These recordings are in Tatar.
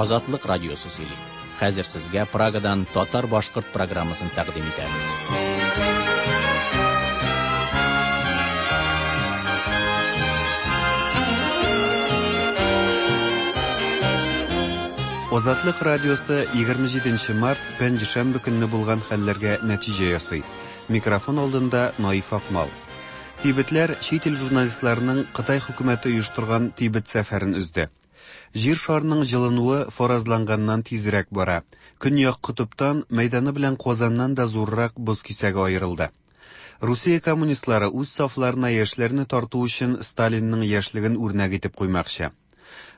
Азатлык радиосы сөйли. Хәзер сезгә Прагадан татар-башкорт программасын тәкъдим итәбез. Азатлык радиосы 27 март пәнҗешәмбе көнне булган хәлләргә нәтиҗә ясый. Микрофон алдында Наиф Акмал. Тибетләр чит ил журналистларының Кытай хөкүмәте оештырган Тибет сәфәрен өзде. Җир шарының җылынуы фаразланганнан тизрәк бара. Көньяк котыптан мәйданы белән Казаннан да зуррак боз кисәге аерылды. Русия коммунистлары үз сафларына яшьләрне тарту өчен Сталинның яшьлеген үрнәк итеп куймакчы.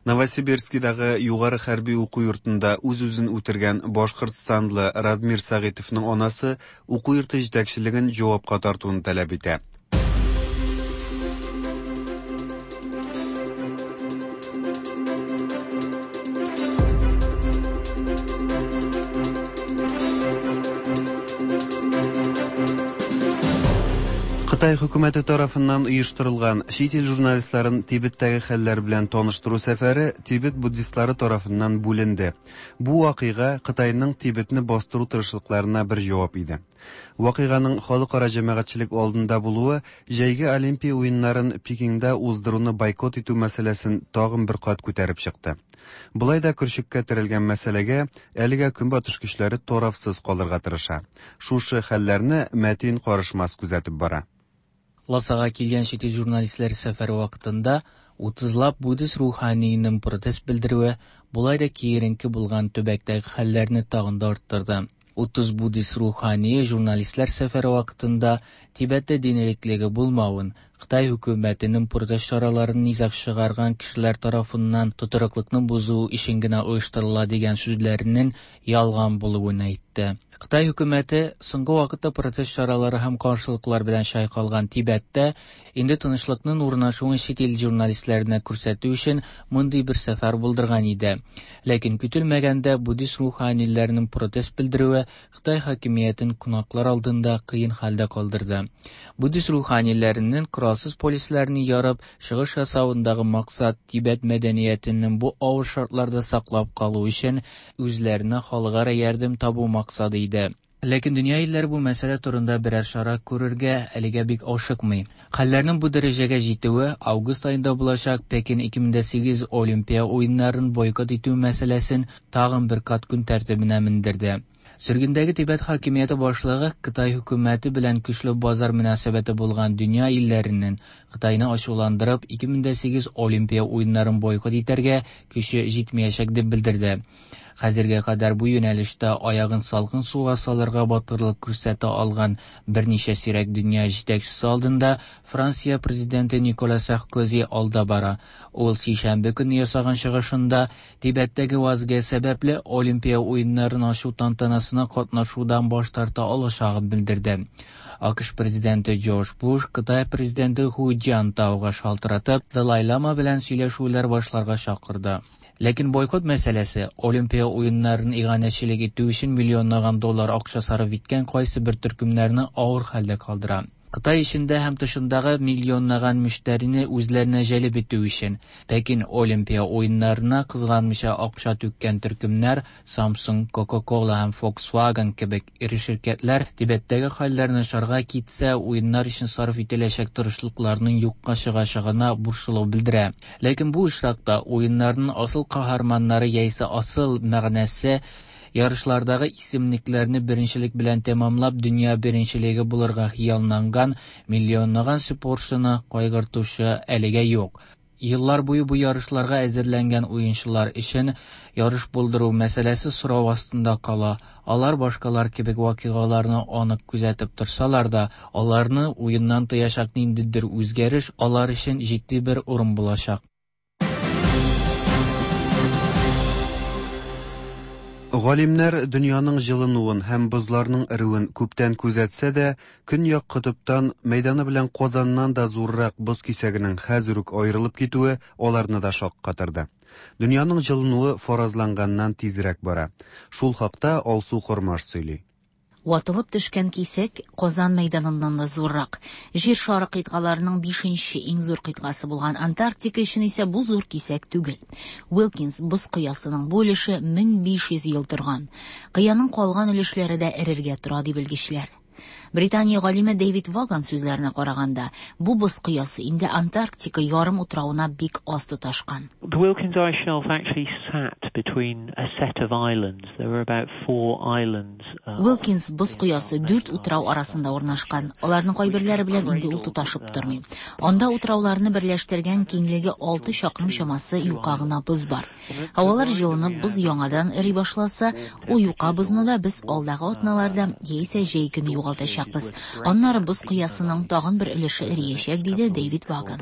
Новосибирскидагы югары хәрби уку йортында үз-үзен үтергән башкортстанлы Радмир Сәгыйтовның анасы уку йорты җитәкчелеген җавапка тартуны таләп итә. Кытай хөкүмәте тарафыннан оештырылган чит ил журналистларын Тибеттәге хәлләр белән таныштыру сәфәре Тибет буддистлары тарафыннан бүленде. Бу вакыйга Кытайның Тибетне бастыру тырышлыкларына бер җавап иде. Вакыйганың халыкара җәмәгатьчелек алдында булуы җәйге Олимпия уеннарын Пекинда уздыруны бойкот итү мәсьәләсен тагын бер кат күтәреп чыкты. Болай да көрчеккә терәлгән мәсьәләгә әлегә Көнбатыш көчләре тарафсыз калырга тырыша. Шушы хәлләрне Мәтин Карышмас күзәтеп бара. Ласага килгән чит ил журналистлары сәфәре вакытында утызлап буддист руханиенең протест белдерүе болай да киеренке булган төбәктәге хәлләрне тагын да арттырды. 30 буддист рухание журналистлар сәфәре вакытында Тибеттә дин иреклеге булмавын, Кытай хөкүмәтенең протест чараларын низаг чыгарган кешеләр тарафыннан тотрыклыкны бозу өчен генә оештырыла дигән сүзләренең ялган булуын әйтте. Кытай хөкүмәте соңгы вакытта протест чаралары һәм каршылыклар белән чайкалган Тибеттә инде тынычлыкның урнашуын чит ил журналистларына күрсәтү өчен мондый бер сәфәр булдырган иде. Ләкин көтелмәгәндә буддист руханиләренең протест белдерүе Кытай хакимиятен кунаклар алдында кыен хәлдә калдырды. Буддист руханиләренең коралсыз полисләрне ярып чыгыш ясавындагы максат Тибет мәдәниятенең бу авыр шартларда саклап калу өчен үзләренә халыкара ярдәм табу максаты иде. Ләкин дөнья илләре бу мәсьәлә турында берәр чара күрергә әлегә бик ашыкмый. Хәлләрнең бу дәрәҗәгә җитүе август аенда булачак Пекин 2008 Олимпия уеннарын бойкот итү мәсьәләсен тагын бер кат көн тәртибенә мендерде. Сөргендәге Тибет хакимияте башлыгы Кытай хөкүмәте белән көчле базар мөнәсәбәте булган дөнья илләренең Кытайны ачуландырып 2008 Олимпия уеннарын бойкот итәргә көче җитмәячәк дип белдерде. Хәзергә кадәр бу юнәлештә аягын салкын суга салырга батырлык күрсәтә алган берничә сирәк дөнья җитәкчесе алдында Франция президенты Никола Саркози алда бара. Ул сишәмбе көнне ясаган чыгышында Тибеттәге вазгыять сәбәпле Олимпия уеннарын ачу тантанасына катнашудан баш тарта алачагын белдерде. АКШ президенты Джордж Буш Кытай президенты Ху Цзянтауга шалтыратып, Далай-лама белән сөйләшүләр башларга чакырды. Ләкин бойкот мәсьәләсе Олимпия уеннарын иганәчелек итү өчен миллионлаган доллар акча сарыф иткән кайсы бер төркемнәрне авыр хәлдә калдыра. Кытай эчендә һәм тышындагы миллионлаган мөштәрине үзләренә җәлеп итү өчен Пекин Олимпия уеннарына кызганмыйча акча түккән төркемнәр Samsung, Coca-Cola һәм Volkswagen кебек эре ширкәтләр Тибеттәге хәлләр начарга китсә, уеннар өчен сарыф ителәчәк тырышлыкларның юкка чыгачагына борчылу белдерә. Ләкин бу очракта уеннарның асыл каһарманнары яисә асыл мәгънәсе ярышлардагы исемлекләрне беренчелек белән тәмамлап дөнья беренчелеге булырга хыялланган миллионлаган спортчыны кайгыртучы әлегә юк. Еллар буе бу ярышларга әзерләнгән уенчылар өчен ярыш булдыру мәсьәләсе сорау астында кала. Алар башкалар кебек вакыйгаларны анык күзәтеп торсалар да, аларны уеннан тыячак ниндидер үзгәреш алар өчен җитди бер урын булачак. Галимнәр дөньяның җылынуын һәм бозларның эреүен күптән күзәтсә дә, Көньяк котыптан мәйданы белән Казаннан да зуррак боз кисәгенең хәзер үк аерылып китүе аларны да шаккатырды. Дөньяның җылынуы фаразланганнан тизрәк бара. Шул хакта Алсу Кормаш сөйли. Ватылып төшкән кисәк Казан мәйданыннан да зуррак. Җир шары кыйтгаларының бишенче иң зур кыйтгасы булган Антарктика өчен исә бу зур кисәк түгел. Уилкинс боз кыясының бу өлеше 1500 ел торган. Кыяның калган өлешләре дә эрергә тора, ди белгечләр. Британия галиме Дэвид Ваган сүзләренә караганда, бу боз кыясы инде Антарктика ярым утравына бик аз тоташкан. The Wilkins Ice Shelf actually sat between a set of islands. There were about four islands. Уилкинс боз коясы дүрт утрау арасында урнашкан. Аларның кайберләре белән инде ул тоташып тормый. Анда утрауларны берләштергән киңлеге 6 чакрым чамасы юка гына боз бар. Һавалар җылынып, боз яңадан эри башласа, ул юка бозны да без алдагы атналарда яисә җәй көне югалтачакбыз. Аннары боз кыясының тагын бер өлеше эриячәк, диде Дэвид Ваган.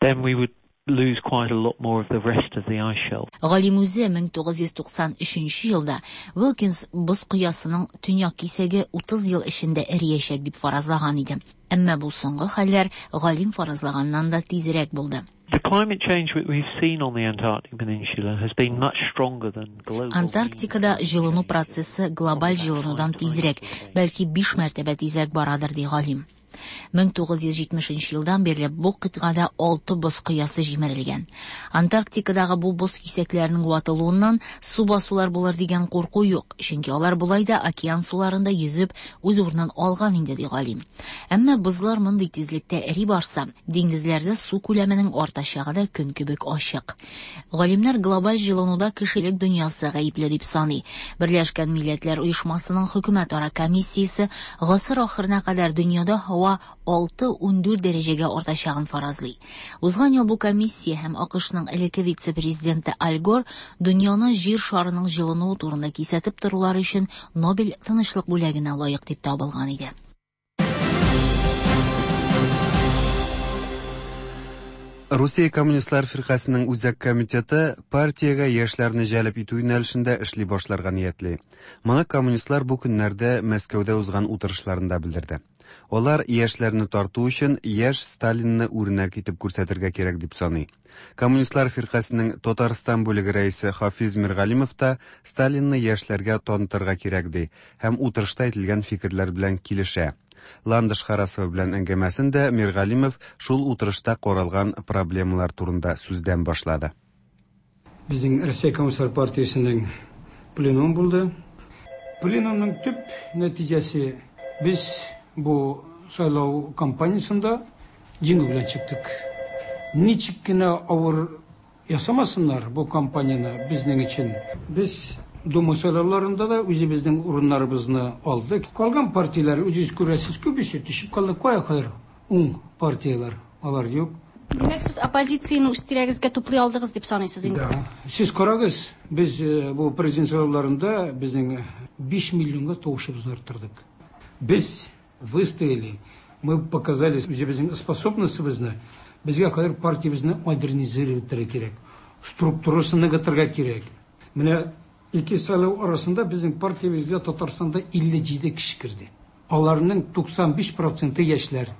Then we would lose quite a lot more of the rest of the ice shelf. Галим үзе 1993 елда Уилкинс боз кыясының төньяк кисәге 30 ел эчендә эриячәк дип фаразлаган иде. Әмма бу соңгы хәлләр галим фаразлаганнан да тизрәк булды. The climate change that we've seen on the Antarctic Peninsula has been much stronger than global. Антарктикада җылыну процессы глобаль җылынудан тизрәк, бәлки 5 мәртәбә тизрәк барадыр, ди галим. 1970 елдан бирле бу кыйтгада 6 боз кыясы җимерелгән. Антарктикадагы бу боз кисәкләренең ватылуыннан су басулар булыр дигән курку юк, чөнки алар болай да океан суларында йөзеп үз урынын алган инде, ди галим. Әмма бозлар мондый тизлектә эри барса, диңгезләрдә су күләменең артачагы да көн кебек ачык. Галимнәр глобаль җылынуда кешелек дөньясы гаепле дип саный. Берләшкән Милләтләр Оешмасының хөкүмәтара комиссиясе гасыр ахырына кадәр дөньяда һава 6-14 дәрәҗәгә артачагын фаразлый. Узган ел бу комиссия һәм АКШның элекке вице-президенты Аль Гор дөньяны җир шарының җылынуы турында кисәтеп торулары өчен Нобель тынычлык бүләгенә лаек дип табылган иде. Русия Коммунистлар фиркасының үзәк комитеты партиягә яшьләрне җәлеп итү юнәлешендә эшли башларга ниятли. Моны коммунистлар бу көннәрдә Мәскәүдә узган утырышларында белдерде. Алар яшьләрне тарту өчен яшь Сталинны үрнәк итеп күрсәтергә кирәк дип саный. Коммунистлар фиркасының Татарстан бүлеге рәисе Хафиз Миргалимов та Сталинны яшьләргә танытырга кирәк ди һәм утырышта әйтелгән фикерләр белән килешә. Ландыш Харасова белән әңгәмәсен дә Миргалимов шул утырышта каралган проблемалар турында сүздән башлады. Безнең Россия Коммунистлар партиясенең пленум булды. Пленумның төп нәтиҗәсе без бу сайлау кампаниясендә җиңү белән чыктык. Ничек кенә авыр ясамасыннар бу кампанияне безнең өчен. Без Дума сайлауларында да үзебезнең урыннарыбызны алдык. Калган партияләр, үзегез күрәсез, күбесе төшеп калды. Кая хәзер уң партияләр? Алар юк. Димәк, сез оппозицияне үз тирәгезгә туплый алдыгыз дип саныйсыз инде. Да. Сез карагыз, без бу президент сайлауларында безнең 5 миллионга тавышыбызны арттырдык. Без выстояли, мы показали үзебезнең способностебезне. Безгә хәзер партиябезне модернизировать итәргә кирәк, структурасын ныгытырга кирәк. Менә ике сайлау арасында безнең партиябезгә Татарстанда 57 кеше керде. Аларның 95% яшьләр.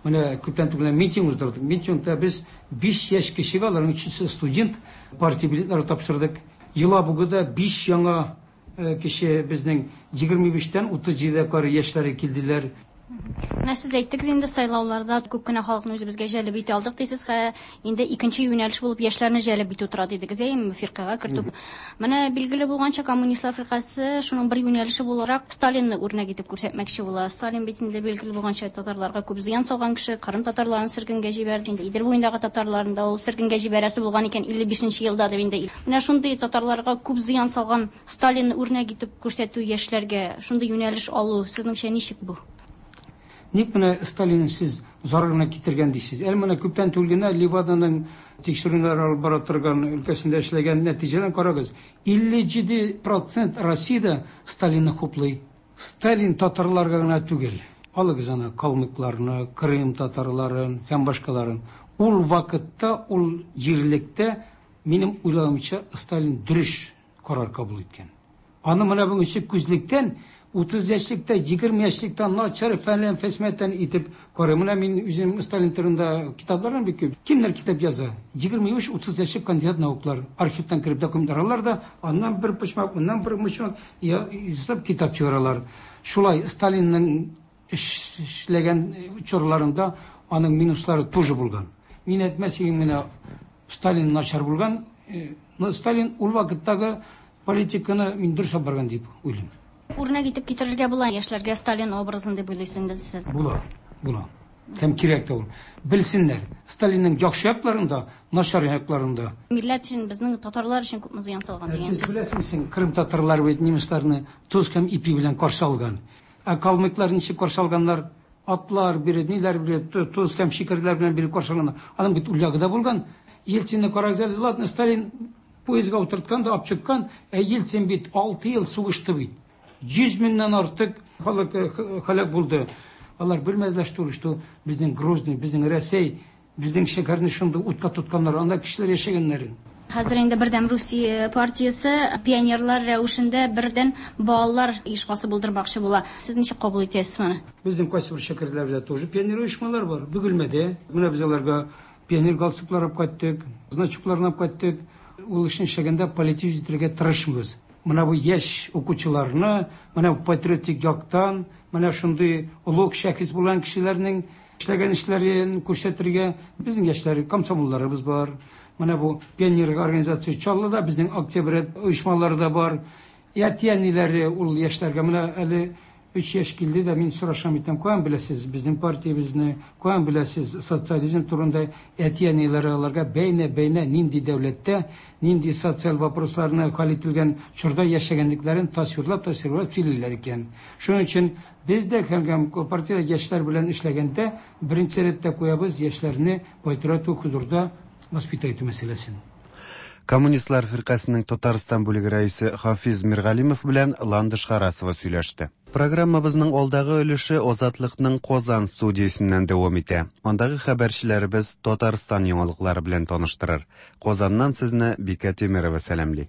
Менә күптән түгел митинг уздырдык. Митингта без 5 яшь кешегә, аларның өчесе студент, партия билетлары тапшырдык. Елабугада 5 яңа кеше безнең 25-тән 37-гә кадәр яшьләре килделәр. Менә сез әйттегез инде сайлауларда күп кенә халыкны үзебезгә җәлеп итә алдык дисез, хә инде икенче юнәлеш булып яшьләрне җәлеп итү тора дидегез, әйеме, фиркагә кертү. Менә билгеле булганча коммунистлар фиркасе шуның бер юнәлеше буларак Сталинны үрнәк итеп күрсәтмәкче була. Сталин бит инде билгеле булганча татарларга күп зыян салган кеше, Кырым татарларын сөргенгә җибәрде. Инде Идел буендагы татарларын да ул сөргенгә җибәрәсе булган икән 55 елда дип инде. Менә шундый татарларга күп зыян салган Сталинны үрнәк итеп күрсәтү яшьләргә шундый юнәлеш алу сезнеңчә ничек бу? Ник менә Сталинны сез зарарына китергән дисез? Әле менә күптән түгел генә Леваданың тикшерүләр алып бара торган өлкәсендә эшләгән нәтиҗәләрен карагыз. 57% Россиядә Сталинны хуплый. Сталин татарларга гына түгел. Алыгыз аны калмыкларны, Крым татарларын һәм башкаларын. Ул вакытта, ул җирлектә, минем уйлавымча, Сталин дөрес карар кабул иткән. Аны менә бүгенче күзлектән 30 яшьлектә, 20 яшьлектә начар фәлән фәсмәтән итеп карый. Менә мин үзем Сталин турында китапларым бик күп. Кемнәр китап яза? 25-30 яшьлек кандидат науклар. Архивтан кереп документлар алалар да, аннан бер почмак, моннан бер почмак ясап китап чыгаралар. Шулай Сталинның эшләгән чорларында аның минуслары тоже булган. Мин әйтмәс идем, менә Сталин начар булган. Но Сталин ул вакыттагы политиканы мин дөрес алып барган дип уйлыйм. Үрнәк итеп китерергә була яшьләргә Сталин образын дип уйлыйсыз инде сез? Була, була. Һәм кирәк тә ул. Белсеннәр, Сталинның яхшы якларын да, начар якларын да. Милләт өчен, безнең татарлар өчен күпме зыян салган дигән Сез сүз. беләсезме, Крым татарлары бит немецларны тоз һәм ипи белән каршы алган. Ә калмыклар ничек каршы алганнар? Атлар биреп, ниләр биреп, тоз һәм шикәрләр белән биреп каршы алганнар. Аның бит ул ягы да булган. Ельцинны карагыз әле, ладно, Сталин поездга утырткан да алып чыккан, ә Ельцин бит 6 ел сугышты бит. 100 меңнән артык халык һәлак булды. Алар белмәделәр, что, что безнең Грозный, безнең Рәсәй, безнең шәһәрне шундый утка тотканнар, анда кешеләр яшәгәннәрен. Хәзер инде Бердәм Русия партиясе пионерлар рәвешендә бердән балалар оешмасы булдырмакчы була. Сез ничек кабул итәсез моны? Безнең кайсы бер шәкертләрдә тоже пионер оешмалар бар. Бөгелмәдә. Менә без аларга пионер галстуклар алып кайттык, значокларын алып кайттык. Ул эшне эшләгәндә политик итәргә тырышмыйбыз. Менә бу яшь укучыларны, менә бу патриотик яктан, менә шундый олуг шәхес булган кешеләрнең эшләгән эшләрен күрсәтергә безнең яшьләр комсомолларыбыз бар. Менә бу пионер организация Чаллыда безнең октябрь оешмалары да бар. Әти-әниләре ул яшьләргә менә әле 3 яшь килде дә мин сорашам итәм, каян беләсез безнең партиябезне, каян беләсез социализм турында? Әти-әниләре аларга бәйнә-бәйнә нинди дәүләттә, нинди социаль вопросларны хәл ителгән чорда яшәгәнлекләрен тасвирлап-тасвирлап сөйлиләр икән. Шуның өчен без дә һәм партия яшьләр белән эшләгәндә беренче рәттә куябыз яшьләрне патриотик хозурда воспитать итү мәсьәләсен. Коммунистлар фиркасының Татарстан бүлеге рәисе Хафиз Миргалимов белән Ландыш Харасова сөйләште. Программабызның алдагы өлеше Азатлыкның Казан студиясеннән дәвам итә. Андагы хәбәрчеләребез Татарстан яңалыклары белән таныштырыр. Казаннан сезне Бикә Тимирова сәламли.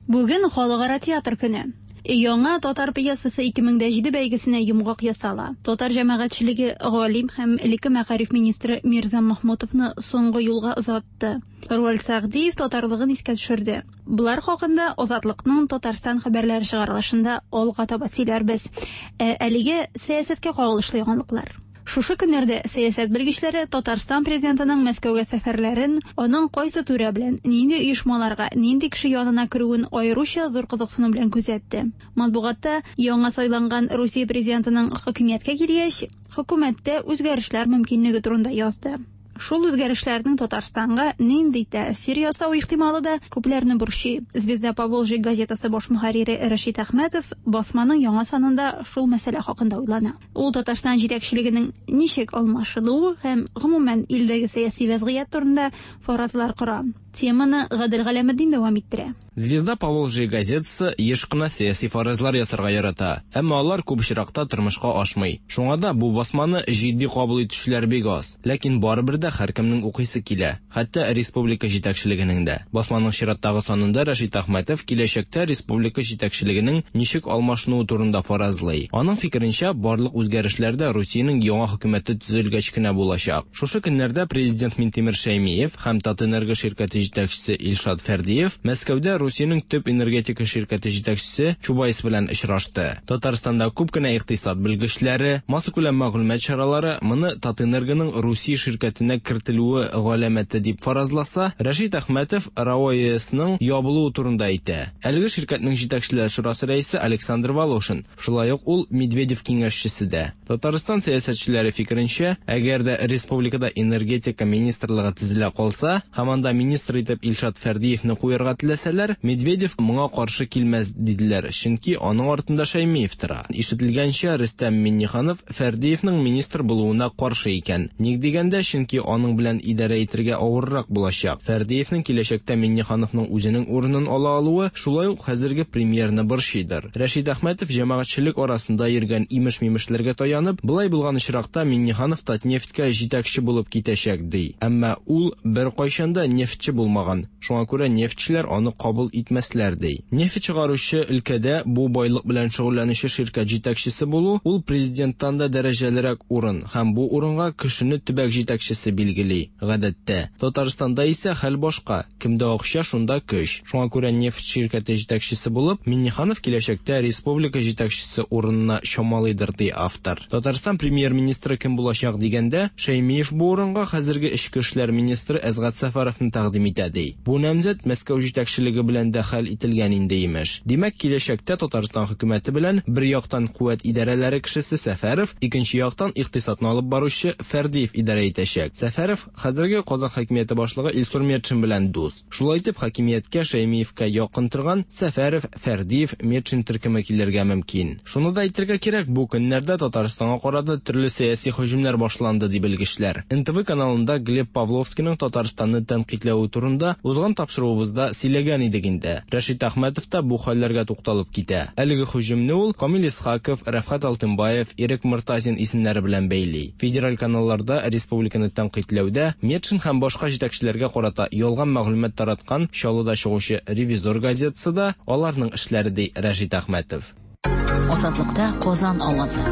Бүген Халыкара театр көне. Яңа татар пьесасы 2007 бәйгесенә йомгак ясала. Татар җәмәгатьчелеге галим һәм элекке мәгариф министры Мирза Махмутовны соңгы юлга озатты. Руаль Сәгъдиев татарлыгын искә төшерде. Болар хакында Азатлыкның Татарстан хәбәрләре чыгарылышында алга таба сөйләрбез. Ә әлегә сәясәткә кагылышлы яңалыклар. Шушы көннәрдә сәясәт белгечләре Татарстан президентының Мәскәүгә сәфәрләрен, аның кайсы түрә белән, нинди оешмаларга, нинди кеше янына керүен аеруча зур кызыксыну белән күзәтте. Матбугатта яңа сайланган Русия президентының хакимияткә килгәч, хөкүмәттә үзгәрешләр мөмкинлеге турында язды. Шул үзгәрешләрнең Татарстанга нинди тәэсир ясау ихтималы да күпләрне борчый. Звезда Поволжья газетасы баш мөхәррире Рәшит Әхмәтов басманың яңа санында шул мәсьәлә хакында уйлана. Ул Татарстан җитәкчелегенең ничек алмашынуы һәм гомумән илдәге сәяси вәзгыять турында фаразлар кора. Теманы Гадел Галәметдин дәвам иттерә. Звезда Поволжья газетасы еш кына сәяси фаразлар ясарга ярата, әмма алар күп очракта тормышка ашмый. Шуңа да бу басманы җитди кабул итүчеләр бик аз. Ләкин барыбер дә һәркемнең укыйсы килә, хәтта республика җитәкчелегенең дә. Басманың чираттагы санында Рәшит Әхмәтов киләчәктә республика җитәкчелегенең ничек алмашынуы турында фаразлый. Аның фикеренчә, барлык үзгәрешләр дә Русиянең яңа хөкүмәте төзелгәч кенә булачак. Шушы көннәрдә президент Минтимер Шәймиев һәм Татэнерго ширкәте җитәкчесе Илшат Фәрдиев Мәскәүдә Русиянең төп энергетика ширкәте җитәкчесе Чубайс белән очрашты. Татарстанда күп кенә икътисад белгечләре, массакүләм мәгълүмат чаралары моны Татэнергоның Русия ширкәтенә кертелүе галәмәте дип фаразласа, Рәшит Әхмәтов РАО ЕСның ябылуы турында әйтә. Әлеге ширкәтнең җитәкчеләр шурасы рәисе Александр Волошин, шулай ук ул Медведев киңәшчесе дә. Татарстан сәясәтчеләре фикеренчә, әгәр дә республикада энергетика министрлыгы төзелә калса, һәм анда министр итеп Илшат Фәрдиевне куярга теләсәләр, Медведев моңа каршы килмәс диделәр, чөнки аның артында Шәймиев тора. Ишетелгәнчә, Рөстәм Миңнеханов Фәрдиевнең министр булуына каршы икән. Ник дигәндә, чөнки аның белән идарә итергә авыррак булачак. Фәрдиевнең киләчәктә Миңнехановның үзенең урынын ала алуы шулай ук хәзерге премьерны борчыйдыр. Рәшит Әхмәтов җәмәгатьчелек арасында йөргән имеш-мимешләргә таянып, болай булган очракта Миңнеханов Татнефтькә җитәкче булып китәчәк, ди. Әмма ул беркайчан да нефтьче булмаган, шуңа күрә нефтьчеләр аны кабул итмәсләр, ди. Нефть чыгаручы өлкәдә бу байлык белән шөгыльләнүче ширкәт җитәкчесе булу, ул президенттан да дәрәҗәлерәк урын һәм бу урынга кешене төбәк җитәкчесе билгели, гадәттә. Татарстанда исә хәл башка, кемдә акча, шунда көч. Шуңа күрә нефть ширкәте җитәкчесе булып, Миңнеханов киләчәктә республика җитәкчесе урынына чамалыйдыр, ди автор. Татарстан премьер-министры кем булачак дигәндә, Шәймиев бу урынга хәзерге эчке эшләр министры Әсгать Сәфәровны тәкъдим итә, ди. Бу намзәт Мәскәү җитәкчелеге белән дә хәл ителгән инде, имеш. Димәк, киләчәктә Татарстан хөкүмәте белән бер яктан куәт идарәләре кешесе Сәфәров, икенче яктан икътисадны алып баручы Фәрдиев идарә итәчәк. Сәфәров хәзерге Казан хакимияте башлыгы Илсур Метшин белән дус. Шулай итеп, хакимияткә Шәймиевкә якын торган Сәфәров, Фәрдиев, Метшин төркеме килергә мөмкин. Шуны да әйтергә кирәк, бу көннәрдә Татарстанга карата төрле сәяси һөҗүмнәр башланды, ди белгечләр. НТВ каналында Глеб Павловскийның Татарстанны тәнкыйтьләве турында узган тапшыруыбызда сөйләгән идек инде. Рәшит Әхмәтов та бу хәлләргә тукталып китә. Әлеге һөҗүмне ул Камил Исхаков, Рәфгать Алтынбаев, Ирек Мортазин исемнәре белән бәйли. Федераль каналларда республиканы тәнкыйтьләүдә Метшин һәм башка җитәкчеләргә карата ялган мәгълүмат тараткан Чаллыда чыгучы Ревизор газетасы да аларның эшләре, ди Рәшит Әхмәтов. Азатлыкта Казан авазы.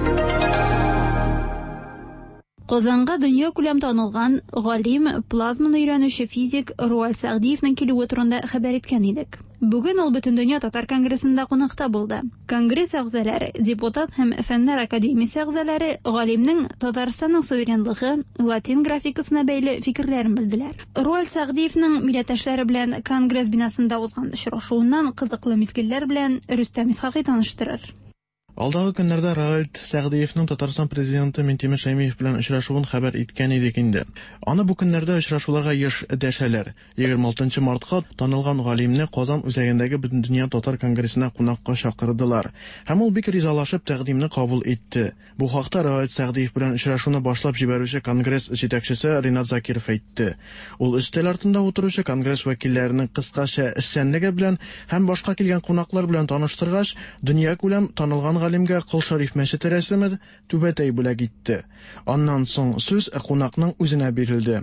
Казанга дөньякүләм танылган галим, плазманы өйрәнүче физик Роальд Сәгъдиевнең килүе турында хәбәр иткән идек. Бүген ул Бөтендөнья татар конгрессында кунакта булды. Конгресс әгъзалары, депутат һәм Фәннәр академиясе әгъзалары галимнең Татарстанның суверенлыгы, латин графикасына бәйле фикерләрен белделәр. Роальд Сәгъдиевнең милләттәшләре белән конгресс бинасында узган очрашуыннан кызыклы мизгелләр белән Рөстәм Исхакый таныштырыр. Алдагы көннәрдә Роальд Сәгъдиевның Татарстан президенты Минтимер Шәймиев белән очрашуын хәбәр иткән идек инде. Аны бу көннәрдә очрашуларга еш дәшәләр. 26 мартка танылган галимне Казан үзәгендәге Бөтендөнья татар конгрессына кунакка чакырдылар. Һәм ул бик ризалашып тәкъдимне кабул итте. Бу хакта Роальд Сәгъдиев белән очрашуны башлап җибәрүче конгресс җитәкчесе Ринат Закиров әйтте. Ул өстәл артында утыручы конгресс вәкилләренең кыскача эшчәнлеге белән һәм башка килгән кунаклар белән таныштыргач, дөньякүләм танылган галимгә Кол Шәриф мәчете рәсеме, түбәтәй бүләк итте. Аннан соң сүз кунакның үзенә бирелде.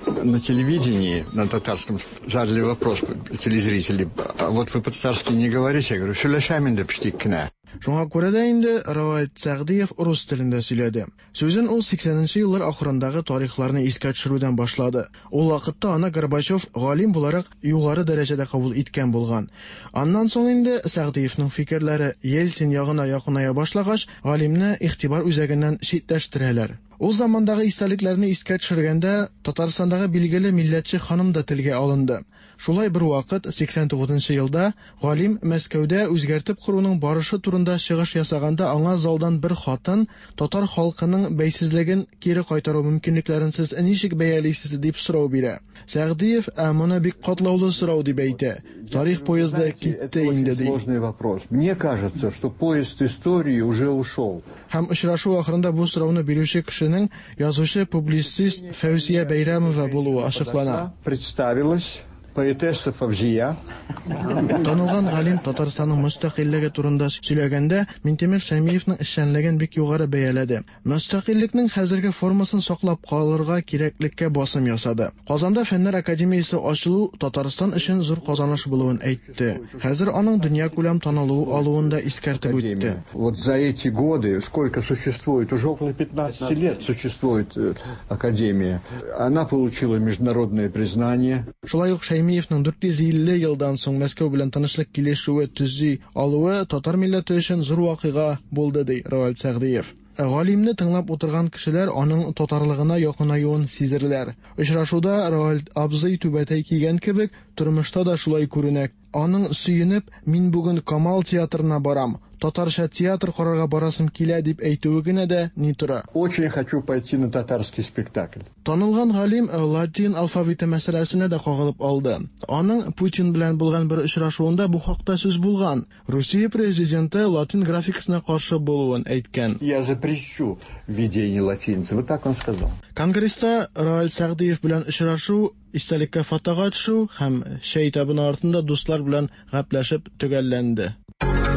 На телевидении, на татарском, задали вопрос телезрители. А вот вы по-татарски не говорите? Я говорю, сөйләшәм инде печтик кенә. Шуңа күрә дә инде Роальд Сәгъдиев рус телендә сөйләде. Сүзен ул 80 нче еллар ахырындагы тарихларны искә төшерүдән башлады. Ул вакытта аны Горбачев галим буларак югары дәрәҗәдә кабул иткән булган. Аннан соң инде Сәгъдиевның фикерләре Ельцин ягына якыная башлагач, галимне игътибар үзәгеннән читләштерәләр. Ул замандагы истәлекләрне искә төшергәндә, Татарстандагы билгеле милләтче ханым да телгә алынды. Шулай бервакыт, 89 нчы елда, галим Мәскәүдә үзгәртеп коруның барышы турында чыгыш ясаганда аңа залдан бер хатын, татар халкының бәйсезлеген кире кайтару мөмкинлекләрен сез ничек бәялисез, дип сорау бирә. Сәгъдиев, ә моны бик катлаулы сорау дип әйтә. Тарих поезды китте инде, ди. Сложный вопрос. Мне кажется, что поезд истории уже ушел. Һәм очрашу ахырында бу сорауны бирүче кешенең язучы-публицист Фәүзия Бәйрәмова булуы ачыклана. Представилась поэтесса Фавзия. Танылган галим Татарстанның мөстәкыйльлеге турында сөйләгәндә, Минтимер Шәймиевның эшчәнлеген бик югары бәяләде. Мөстәкыйльлекнең хәзерге формасын саклап калырга кирәклеккә басым ясады. Казанда Фәннәр академиясе ачылу Татарстан өчен зур казаныш булуын әйтте. Хәзер аның дөньякүләм танылу алуын да искәртеп үтте. Вот за эти годы, сколько существует, уже около 15 лет существует э, академия, она получила международное признание. Шулай ук Шәймиевның 450 елдан соң Мәскәү белән тынычлык килешүе төзи алуы татар милләте өчен зур вакыйга булды, ди Равил Сәгъдиев. Галимне тыңлап утырган кешеләр аның татарлыгына якынаюын сизерләр. Очрашуда Равил абзый түбәтәй кигән кебек, тормышта да шулай күренә. Аның сөенеп, мин бүген Камал театрына барам, татарча театр карарга барасым килә дип әйтүе генә дә ни тора. Очень хочу пойти на татарский спектакль. Танылган галим латин алфавиты мәсьәләсенә дә кагылып алды. Аның Путин белән булган бер очрашуында бу хакта сүз булган. Русия президенты латин графикасына каршы булуын әйткән. Я запрещу введение латиницы. Вот так он сказал. Конгресста Раил Сәгъдиев белән очрашу, истәлеккә фотога төшү һәм чәй табыны артында дуслар белән гәпләшеп төгәлләнде.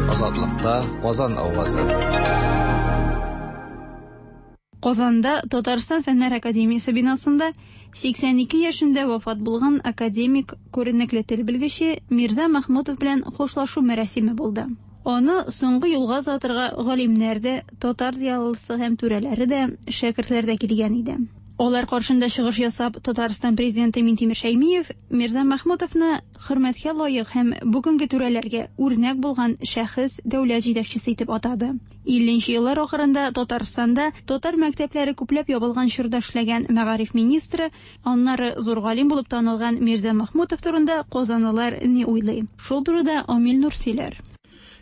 Азатлыкта Казан авазы. Казанда Татарстан Фәннәр академиясе бинасында 82 яшендә вафат булган академик, күренекле тел белгече Мирза Мәхмүтов белән хушлашу мәрасиме булды. Аны соңгы юлга озатырга галимнәр дә, татар зыялысы һәм түрәләре дә, шәкертләр дә килгән иде. Алар каршында чыгыш ясап, Татарстан президенты Минтимер Шәймиев Мирза Мәхмүтовны хөрмәткә лаек һәм бүгенге түрәләргә үрнәк булган шәхес, дәүләт җитәкчесе итеп атады. 50 нче еллар ахырында Татарстанда татар мәктәпләре күпләп ябылган чорда эшләгән мәгариф министры, аннары зур галим булып танылган Мирза Мәхмүтов турында казанлылар ни уйлый? Шул турыда Амил Нур сөйләр.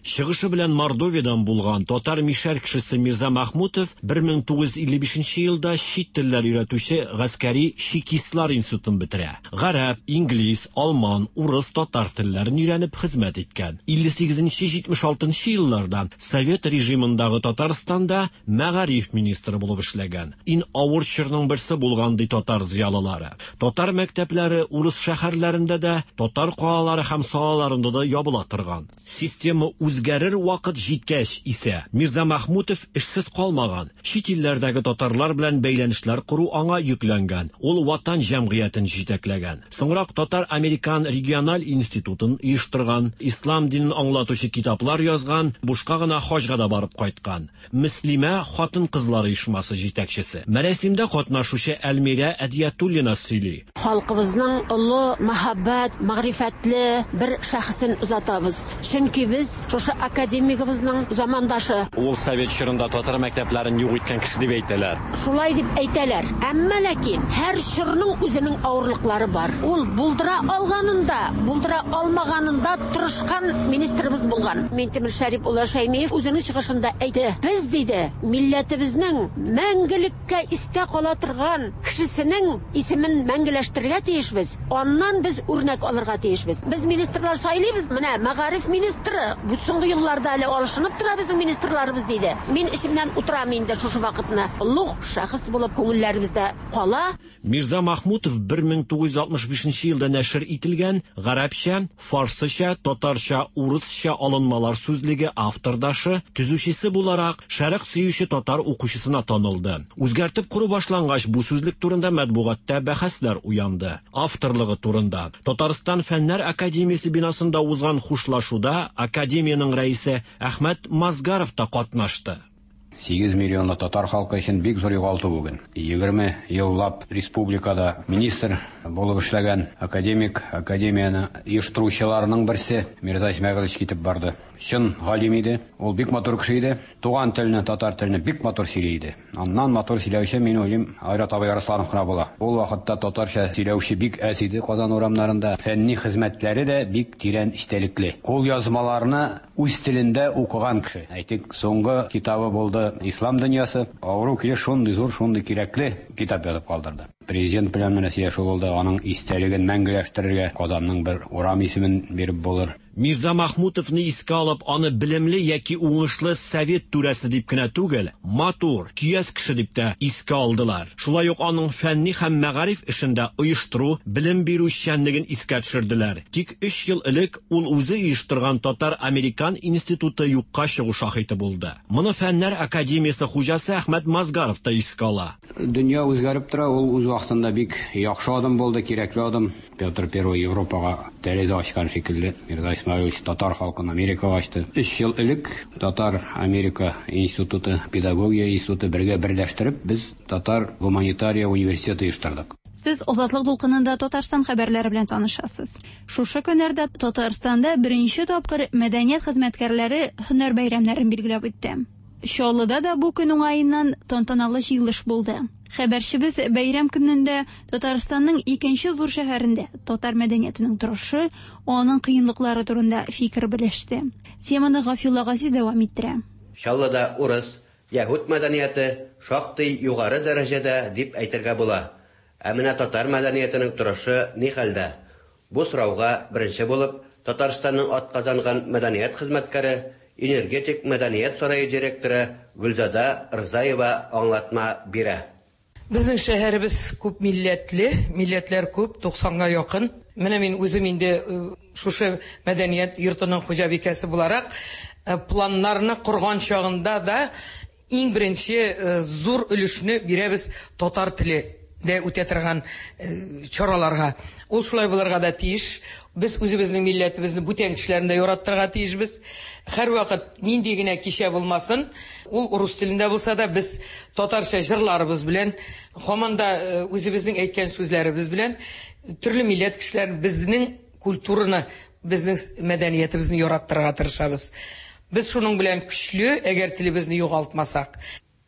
Чыгышы белән Мордовиядән булган татар мишәр кешесе Мирза Мәхмүтов 1955 елда чит телләр өйрәтүче гаскәри чекистлар институтын бетерә. Гарәп, инглиз, алман, урыс, татар телләрен өйрәнеп хезмәт иткән. 58-76 елларда Совет режимындагы Татарстанда мәгариф министры булып эшләгән. Иң авыр чорның берсе булган ди татар зыялылары. Татар мәктәпләре урыс шәһәрләрендә дә, татар калалары һәм салаларында да ябыла торган. Система үзгәрер вакыт җиткәч исә Мирза Мәхмүтов эшсез калмаган. Чит илләрдәге татарлар белән бәйләнешләр кору аңа йөкләнгән. Ул Ватан җәмгыятен җитәкләгән. Соңрак Татар-Американ региональ институтын оештырган, ислам динен аңлатучы китаплар язган, бушка гына хаҗга да барып кайткан. Мөслимә хатын-кызлар оешмасы җитәкчесе. Мәрәсимдә катнашучы Әлмирә Әдиятуллина сөйли. Халкыбызның олы мәхәббәт, мәгърифәтле бер шәхесен озатабыз. Чөнки без шушы академигыбызның замандашы. Ул совет чорында татар мәктәпләрен юк иткән кеше дип әйтәләр. Шулай дип әйтәләр. Әмма ләкин һәр чорның үзенең авырлыклары бар. Ул булдыра алганында, булдыра алмаганында тырышкан министрыбыз булган. Минтимер Шәрип улы Шәймиев үзенең чыгышында әйтте. Без, диде, милләтебезнең мәңгелеккә истә кала торган кешесенең исемен мәңгеләштерергә тиешбез. Аннан без үрнәк алырга тиешбез. Без министрлар сайлыйбыз. Менә мәгариф министры бу соңгы елларда әле алышынып тора безнең министрларыбыз, диде. Мин эчемнән утырам инде шушы вакытны. Олуг шәхес булып күңелләребездә кала. Мирза Махмутов 1965 елда нәшер ителгән гарәпчә, фарсыча, татарча, урысча алынмалар сүзлеге автордашы, төзүчесе буларак шәрык сөюче татар укучысына танылды. Үзгәртеп кору башлангач, бу сүзлек турында матбугатта бәхәсләр уянды. Авторлыгы турында Татарстан Фәннәр академиясе бинасында узган хушлашуда академиянең рәисе Әхмәт Мазгаров та катнашты. 8 миллионлы татар халкы өчен бик зур югалту бүген. 20 еллап республикада министр булып эшләгән академик, академияне оештыручыларның берсе Мирза Исмәгыйлович китеп барды. Чын галим иде, ул бик матур кеше иде. Туган телне, татар телне бик матур сөйли иде. Аннан матур сөйләүче, мин уйлыйм, Айрат абый Арсланов кына була. Ул вакытта татарча сөйләүче бик әз иде Казан урамнарында. Фәнни хезмәтләре дә бик тирән эчтәлекле. Кул язмаларны үз телендә укыган кеше. Әйтик, соңгы китабы булды Ислам дөньясы. Авыру килеш шундый зур, шундый кирәкле китап язып калдырды. Президент белән менә сөйләшү булды, аның истәлеген мәңгеләштерергә Казанның бер урам исемен биреп булыр. Мирза Махмутовны искә алып, аны белемле яки уңышлы совет түрәсе дип кенә түгел, матур, көяз кеше дип тә искә алдылар. Шулай ук аның фәнни һәм мәгариф эшендә оештыру, белем бирү эшчәнлеген искә төшерделәр. Тик 3 ел элек ул үзе оештырган Татар-Американ институты юкка чыгу шаһиты булды. Моны Фәннәр академиясе хуҗасы Әхмәт Мазгаров та искә ала. Дөнья үзгәреп тора, ул үз вакытында бик яхшы адым булды, кирәкле адым. Петр I Европага тәрәзә ачкан шикелле, Мирза Исмәгыйлович татар халкын Америкага ачты. 3 ел элек Татар-Америка институты, педагогия институты бергә берләштереп, без Татар гуманитария университеты оештырдык. Сез Азатлык дулкынында Татарстан хәбәрләре белән танышасыз. Шушы көннәрдә Татарстанда беренче тапкыр мәдәният хезмәткәрләре һөнәр бәйрәмнәрен билгеләп үтте. Чаллыда да бу көн уңаеннан тантаналы җыелыш булды. Хәбәрчебез бәйрәм көнендә Татарстанның икенче зур шәһәрендә татар мәдәниятенең торышы, аның кыенлыклары турында фикер белеште. Теманы Гафиулла Газиз дәвам иттерә. Чаллыда урыс, яһүд мәдәнияте шактый югары дәрәҗәдә дип әйтергә була. Ә менә татар мәдәниятенең торышы ни хәлдә? Бу сорауга беренче булып Татарстанның атказанган мәдәният хезмәткәре, Энергетик мәдәният сарае директоры Гөлзада Рзаева аңлатма бирә. Безнең шәһәребез күп милләтле, милләтләр күп, 90-га якын. Менә мин үзем инде шушы мәдәният йортының хуҗабикәсе буларак, планнарны корган чагында да иң беренче зур өлешне бирәбез татар теле дә үтә торган чараларга. Ул шулай булырга да тиеш. Без үзебезнең милләтебезне бүтән кешеләрне дә яраттырырга тиешбез. Һәрвакыт нинди генә кичә булмасын, ул рус телендә булса да, без татарча җырларыбыз белән, һаман да үзебезнең әйткән сүзләребез белән төрле милләт кешеләрен безнең культураны, безнең мәдәниятебезне яраттырырга тырышабыз. Без шуның белән көчле, әгәр телебезне югалтмасак.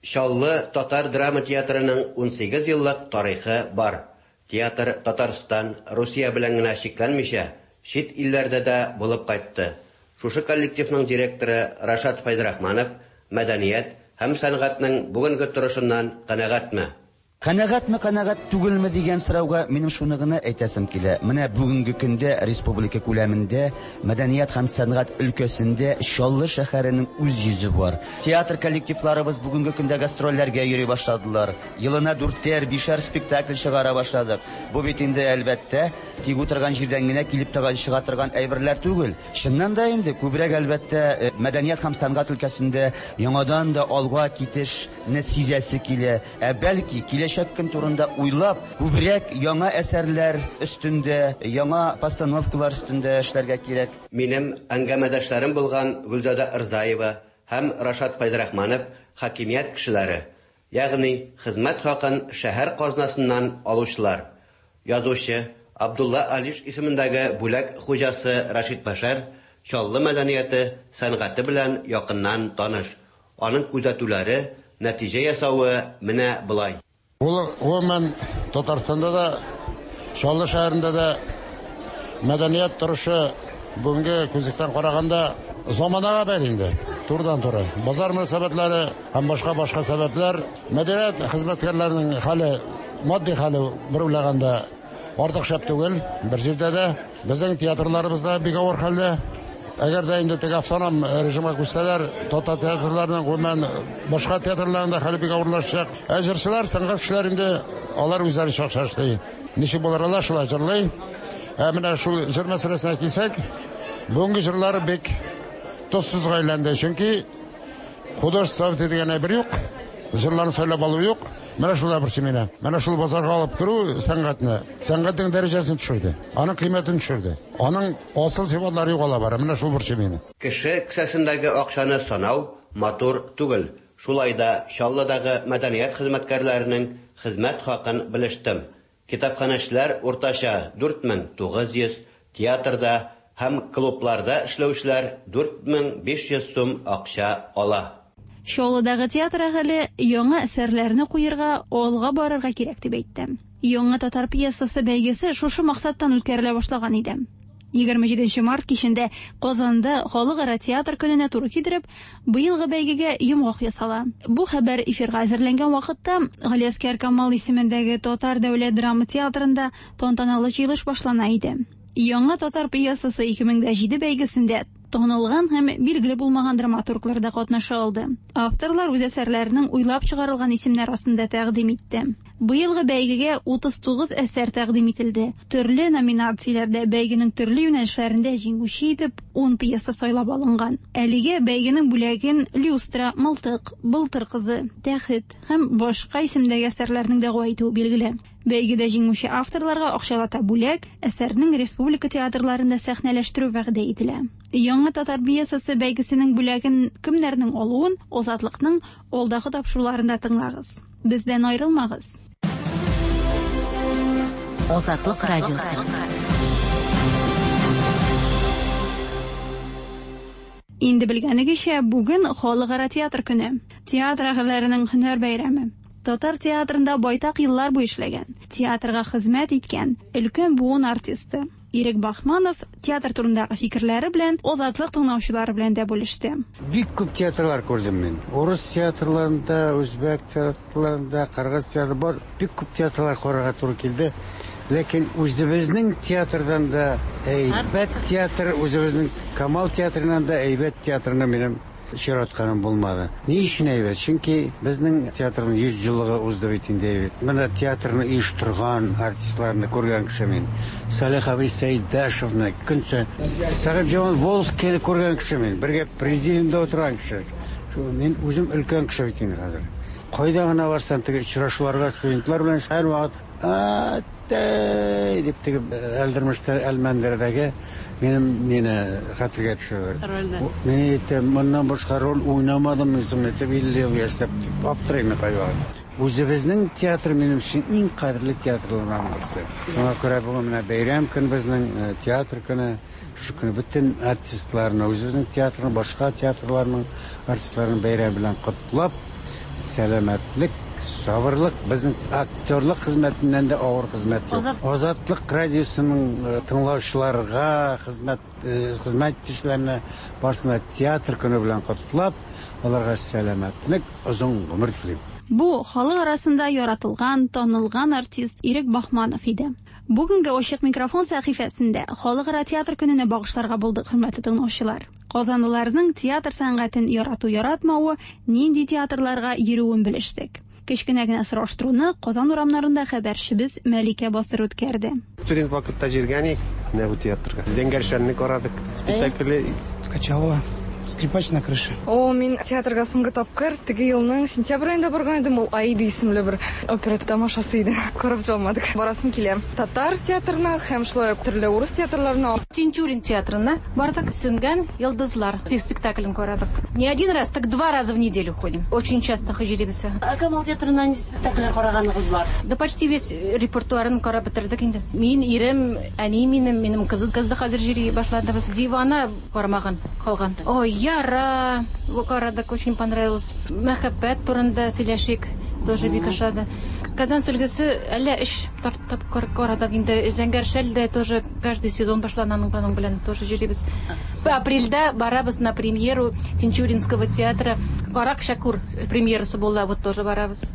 Чаллы татар драма театрының 18 еллык тарихы бар. Театр Татарстан, Русия белән генә чикләнмичә, чит илләрдә дә булып кайтты. Шушы коллективның директоры Рашат Фәйзрахманов мәдәният һәм сәнгатьнең бүгенге торышыннан канәгатьме? Канәгатьме, канәгать түгелме дигән сорауга минем шуны гына әйтәсем килә. Менә бүгенге көндә республика күләмендә мәдәният һәм сәнгать өлкәсендә Чаллы шәһәренең үз йөзе бар. Театр коллективларыбыз бүгенге көндә гастрольләргә йөри башладылар. Елына дүртәр, бишәр спектакль чыгара башладык. Бу бит инде, әлбәттә, тик утырган җирдән генә килеп чыга торган әйберләр түгел. Чыннан да инде күбрәк, әлбәттә, мәдәният һәм сәнгать өлкәсендә яңадан да алга китешне сизәсе килә. Ә бәлки, киләчәк көн турында уйлап, күбрәк яңа әсәрләр өстендә, яңа постановкалар өстендә эшләргә кирәк. Минем әңгәмәдәшләрем булган Гөлзада Рзаева һәм Рашат Фәйзрахманов хакимият кешеләре, ягъни хезмәт хакын шәһәр казнасыннан алучылар. Язучы, Абдулла Алиш исемендәге бүләк хуҗасы Рәшит Бәшәр Чаллы мәдәнияте, сәнгате белән якыннан таныш. Аның күзәтүләре, нәтиҗә ясавы менә болай. Ул, гомумән, Татарстанда да, Чаллы шәһәрендә дә мәдәният торышы бүгенге күзлектән караганда заманага бәйле инде, турыдан-туры. Базар мөнәсәбәтләре һәм башка-башка сәбәпләр. Мәдәният хезмәткәрләренең хәле, матди хәле бер уйлаганда артык шәп түгел, бер җирдә дә. Безнең театрларыбыз да бик авыр хәлдә. Әгәр дә инде теге автоном режимга күчсәләр, татар театрларының, гомумән, башка театрларның да хәле бик авырлашачак. Ә җырчылар, сәнгать кешеләре инде алар үзләренчә акча эшли. Ничек булыр алар, шулай җырлый. Ә менә шул җыр мәсьәләсенә килсәк, бүгенге җырлар бик тозсызга әйләнде. Чөнки художество дигән әйбер юк, җырларны сайлап алу юк. Менә шулар борчый мине. Менә шул базарга алып керү сәнгатьне, сәнгатьнең дәрәҗәсен төшерде, аның кыйммәтен төшерде. Аның асыл сыйфатлары югала бара. Менә шул борчый мине. Кеше кесәсендәге акчаны санау матур түгел. Шулай да Чаллыдагы мәдәният хезмәткәрләренең хезмәт хакын белештем. Китапханәчеләр уртача 4900, театрда һәм клубларда эшләүчеләр 4500 сум акча ала. Чаллыдагы театр әһеле яңа әсәрләрне куерга, алга барырга кирәк дип әйтте. Яңа татар пьесасы бәйгесе шушы максаттан үткәрелә башлаган иде. 27 март кичендә Казанда Халыкара театр көненә туры китереп, быелгы бәйгегә йомгак ясала. Бу хәбәр эфирга әзерләнгән вакытта Галиәсгар Камал исемендәге Татар дәүләт драма театрында тантаналы җыелыш башлана иде. Яңа татар пьесасы 2007 бәйгесендә танылган һәм билгеле булмаган драматурглар да катнаша алды. Авторлар үз әсәрләренең уйлап чыгарылган исемнәр астында тәкъдим итте. Быелгы бәйгегә 39 әсәр тәкъдим ителде. Төрле номинацияләрдә бәйгенең төрле юнәлешләрендә җиңүче итеп 10 пьеса сайлап алынган. Әлегә бәйгенең бүләген Люстра, Мылтык, Былтыр кызы, Тәхет һәм башка исемдәге әсәрләрнең дәгъва итүе билгеле. Бәйгедә җиңүче авторларга акчалата бүләк, әсәрнең республика театрларында сәхнәләштерү вәгъдә ителә. Яңа татар пьесасы бәйгесенең бүләген кемнәрнең алуын Азатлыкның алдагы тапшыруларында тыңлагыз. Бездән аерылмагыз. Азатлык радиосы. Инде белгәнегезчә, бүген Халыкара театр көне. Театр әһелләренең һөнәр бәйрәме. Татар театрында байтак еллар буе эшләгән, театрга хезмәт иткән өлкән буын артисты Ирек Бахманов театр турындагы фикерләре белән Азатлык тыңлаучылары белән дә бүлеште. Бик күп театрлар күрдем мин. Урыс театрларында, үзбәк театрларында, кыргыз театры бар. Бик күп театрлар карарга туры килде. Ләкин үзебезнең театрдан да әйбәт театр, үзебезнең Камал театрыннан да әйбәт театрны минем очратканым булмады. Ни өчен әйбәт? Чөнки безнең театрның 100 еллыгы узды бит инде әйбәт. Менә театрны оештырган артистларны күргән кеше мин. Салих абый Сәйдәшевны, көн саен Сәхибҗамал Волжскийны күргән кеше мин. Бергә президиумда утырган кеше. Мин үзем өлкән кеше бит инде хәзер. Кайда гына барсам, теге очрашуларга студентлар белән һәрвакыт Әттәй! дип теге Әлдермештә, Әлмәндәрдәге минем мине хәтергә төшерә. Рольне. Мин әйтәм, моннан башка роль уйнамадым мин соң әйтеп, 50 ел яшьтәп дип аптырыйм мин кайвакыт. Үзебезнең театр минем өчен иң кадерле театрларның берсе. Шуңа күрә бүген менә бәйрәм көн безнең, театр көне. Шушы көнне бөтен артистларны, үзебезнең театрның, башка театрларның артистларын бәйрәм белән котлап, сәламәтлек, сабырлык, безнең актерлык хезмәтеннән дә авыр хезмәт юк. Азатлык радиосының тыңлаучыларга, хезмәт хезмәт итүчеләрне барысына театр көне белән котлап, аларга сәламәтлек, озын гомер телим. Бу, халык арасында яратылган, танылган артист Ирек Баһманов иде. Бүгенге Ачык микрофон сәхифәсендә Халыкара театр көненә багышларга булдык, хөрмәтле тыңлаучылар. Казанлыларның театр сәнгатен ярату-яратмавы, нинди театрларга йөрүен белештек. Кечкенә генә сораштыруны Казан урамнарында хәбәрчебез Мәликә Басыр үткәрде. Студент вакытта җиргән идек менә бу театрга. Зәңгәр шәлне карадык. Спектакле. Качалова. Скрипач на крыше. О, мин театрга соңгы тапкыр теге елның сентябрь аенда барган идем. Ул Аида исемле бер опера тамашасы иде. Карап бетә алмадык. Барасым килә. Татар театрына һәм шулай ук төрле урыс театрларына. Тинчурин театрына бардык. Сүнгән йолдызлар спектаклен карадык. Не один раз, так два раза в неделю ходим. Очень часто йөрибез. Ә Камал театрына нинди спектакльләр караганыгыз бар? Да почти весь репертуарын карап бетердек инде. Мин, ирем, әни минем, минем кызым кыз да хәзер йөри башлады. Без Дивана карамаган калган. Ой, Яра карадык, очень понравилось. Мәхәббәт турында сөйләшик, тоже бик ошады. Казан сөлгесе әллә өч тапкыр карадык инде. Зәңгәр шәл дә тоже каждый сезон башлана аның белән тоже йөрибез. Апрельдә барабыз на премьеру Тинчуринского театра. Карак Шәкүр премьерасы була, вот тоже барабыз.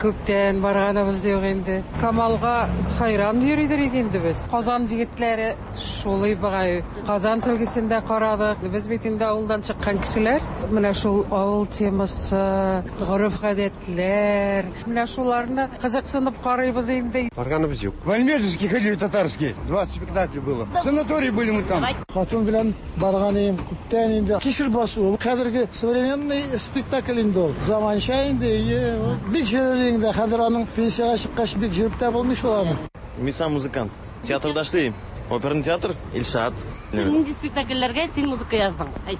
Күптән барганыбыз юк инде. Камалга хайран йөридер идек инде без. Казан егетләре шулай бугай. Казан сөлгесен дә карадык. Без бит инде авылдан чыккан кешеләр. Менә шул авыл темасы, гореф-гадәтләр, менә шуларны кызыксынып карыйбыз инде. Барганыбыз юк. В Альметьевский ходили татарский. Два спектакля было. В санатории были мы там. Хатын белән барган идем күптән инде. Кишер басу ул хәзерге современный спектакль инде ул. Заманча инде, ие, бик җөрер инде. Хәзер аның пенсиягә чыккач бик җөреп тә булмый шул аны. Мин сам музыкант. Театрда эшлим. Оперный театр, Илшат. Син нинди спектакльләргә син музыка яздың? Әйт.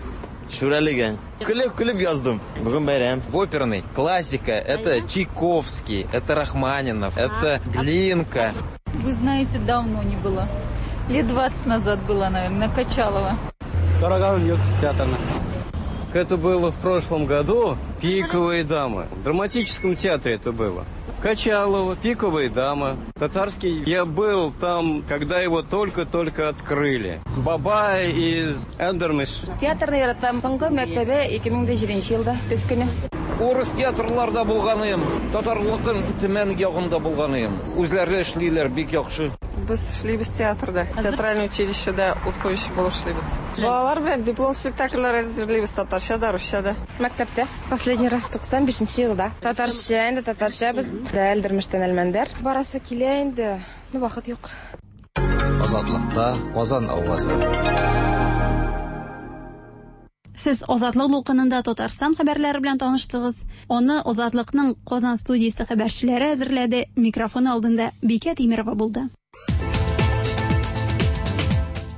Шүрәлегә. Көлеп-көлеп яздым. Бүген бәйрәм. В оперный классика это Чайковский, это Рахманинов, это Глинка. Вы знаете, давно не было. Лет 20 назад была, наверное, на Качалова. Караганым юк театрны. Это было в прошлом году. Пиковые дамы. В драматическом театре это было. Качалова, Пиковые дамы. Татарский. Я был там, когда его только-только открыли. Бабай из Эндермиш. Театрны яратам. Соңгы мәртәбә 2007 елда көз көне. Урыс театрларда булганым, татарлыкын Төмән ягында булганым. Үзләре эшлиләр бик яхшы. Без эшлибез театрда, театральный училищеда ут куючы булып эшлибез. Балалар белән диплом спектакльләр әзерлибез татарча да, русча да. Мәктәптә. Последний раз 95 елда. Татарча инде, татарча без. Әлдермештән Әлмәндәр. Барасы килә инде, но вакыт юк. Азатлыкта Казан авазы. Сез Азатлык дулкынында Татарстан хәбәрләре белән таныштыгыз. Аны Азатлыкның Казан студиясе хәбәрчеләре әзерләде. Микрофон алдында Бикә Тимерова булды.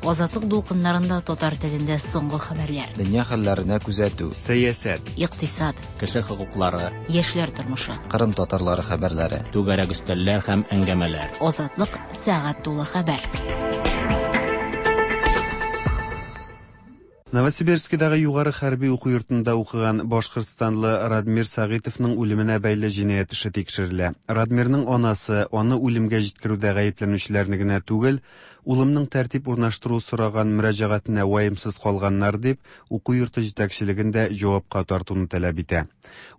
Азатлык дулкыннарында татар телендә соңгы хәбәрләр. Дөнья хәлләренә күзәтү. Сәясәт. Икътисад. Кеше хокуклары. Яшьләр тормышы. Кырым татарлары хәбәрләре. Түгәрәк өстәлләр һәм әңгәмәләр. Азатлык сәгать тулы хәбәр. Новосибирскидагы югары хәрби уку йортында укыган башкортстанлы Радмир Сәгыйтовның үлеменә бәйле җинаять эше тикшерелә. Радмирның анасы аны үлемгә җиткерүдә гаепләнүчеләрне генә түгел, улымның тәртип урнаштыру сораган мөрәҗәгатенә ваемсыз калганнар дип, уку йорты җитәкчелеген дә җавапка тартуны таләп итә.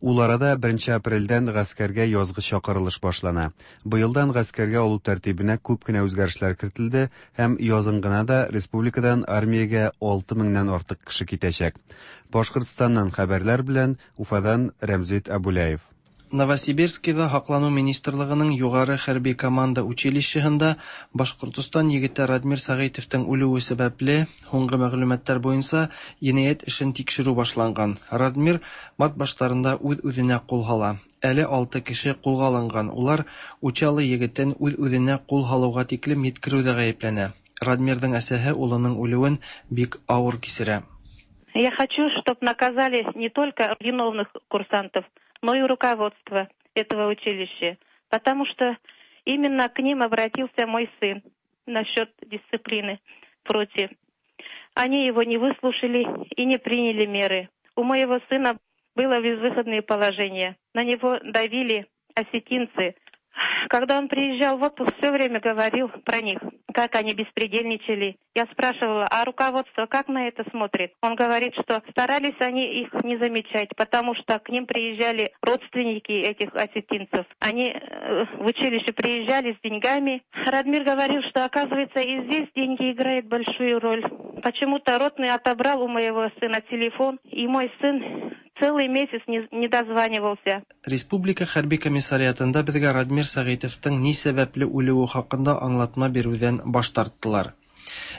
Ул арада 1 апрельдән гаскәргә язгы чакырылыш башлана. Быелдан гаскәргә алу тәртибенә күп кенә үзгәрешләр кертелде һәм язын гына да республикадан армиягә 6 меңнән артык кеше китәчәк. Башкортстаннан хәбәрләр белән Уфадан Рәмзит Абуляев. Новосибирскида Һаклану министрлыгының югары хәрби команда училищеһында Башкортостан егете Радмир Сәгыйтовтың үлүе сәбәпле, һуңгы мәгълүматлар буенча, енәят эшен тикшерү башланган. Радмир март башларында үз-үзенә кул һала. Әле алты кеше кулга алынган, улар Учалы егетен үз-үзенә кул һалуга тиклем йиткерүдә гаепләнә. Радмирның әсәһе улының үлүен бик авыр кичерә. Я хочу, чтоб наказали не только виновных курсантов, но и руководство этого училища, потому что именно к ним обратился мой сын насчет дисциплины против. Они его не выслушали и не приняли меры. У моего сына было безвыходное положение. На него давили осетинцы. Когда он приезжал в отпуск, все время говорил про них, как они беспредельничали. Я спрашивала, а руководство как на это смотрит? Он говорит, что старались они их не замечать, потому что к ним приезжали родственники этих осетинцев. Они в училище приезжали с деньгами. Радмир говорил, что, оказывается, и здесь деньги играют большую роль. Почему-то ротный отобрал у моего сына телефон, и мой сын целый месяц не дозванивался. Республика хәрби комиссариатында безгә Радмир Сәгыйтовтың ни сәбәпле үлүе хакында аңлатма бирүдән баш тарттылар.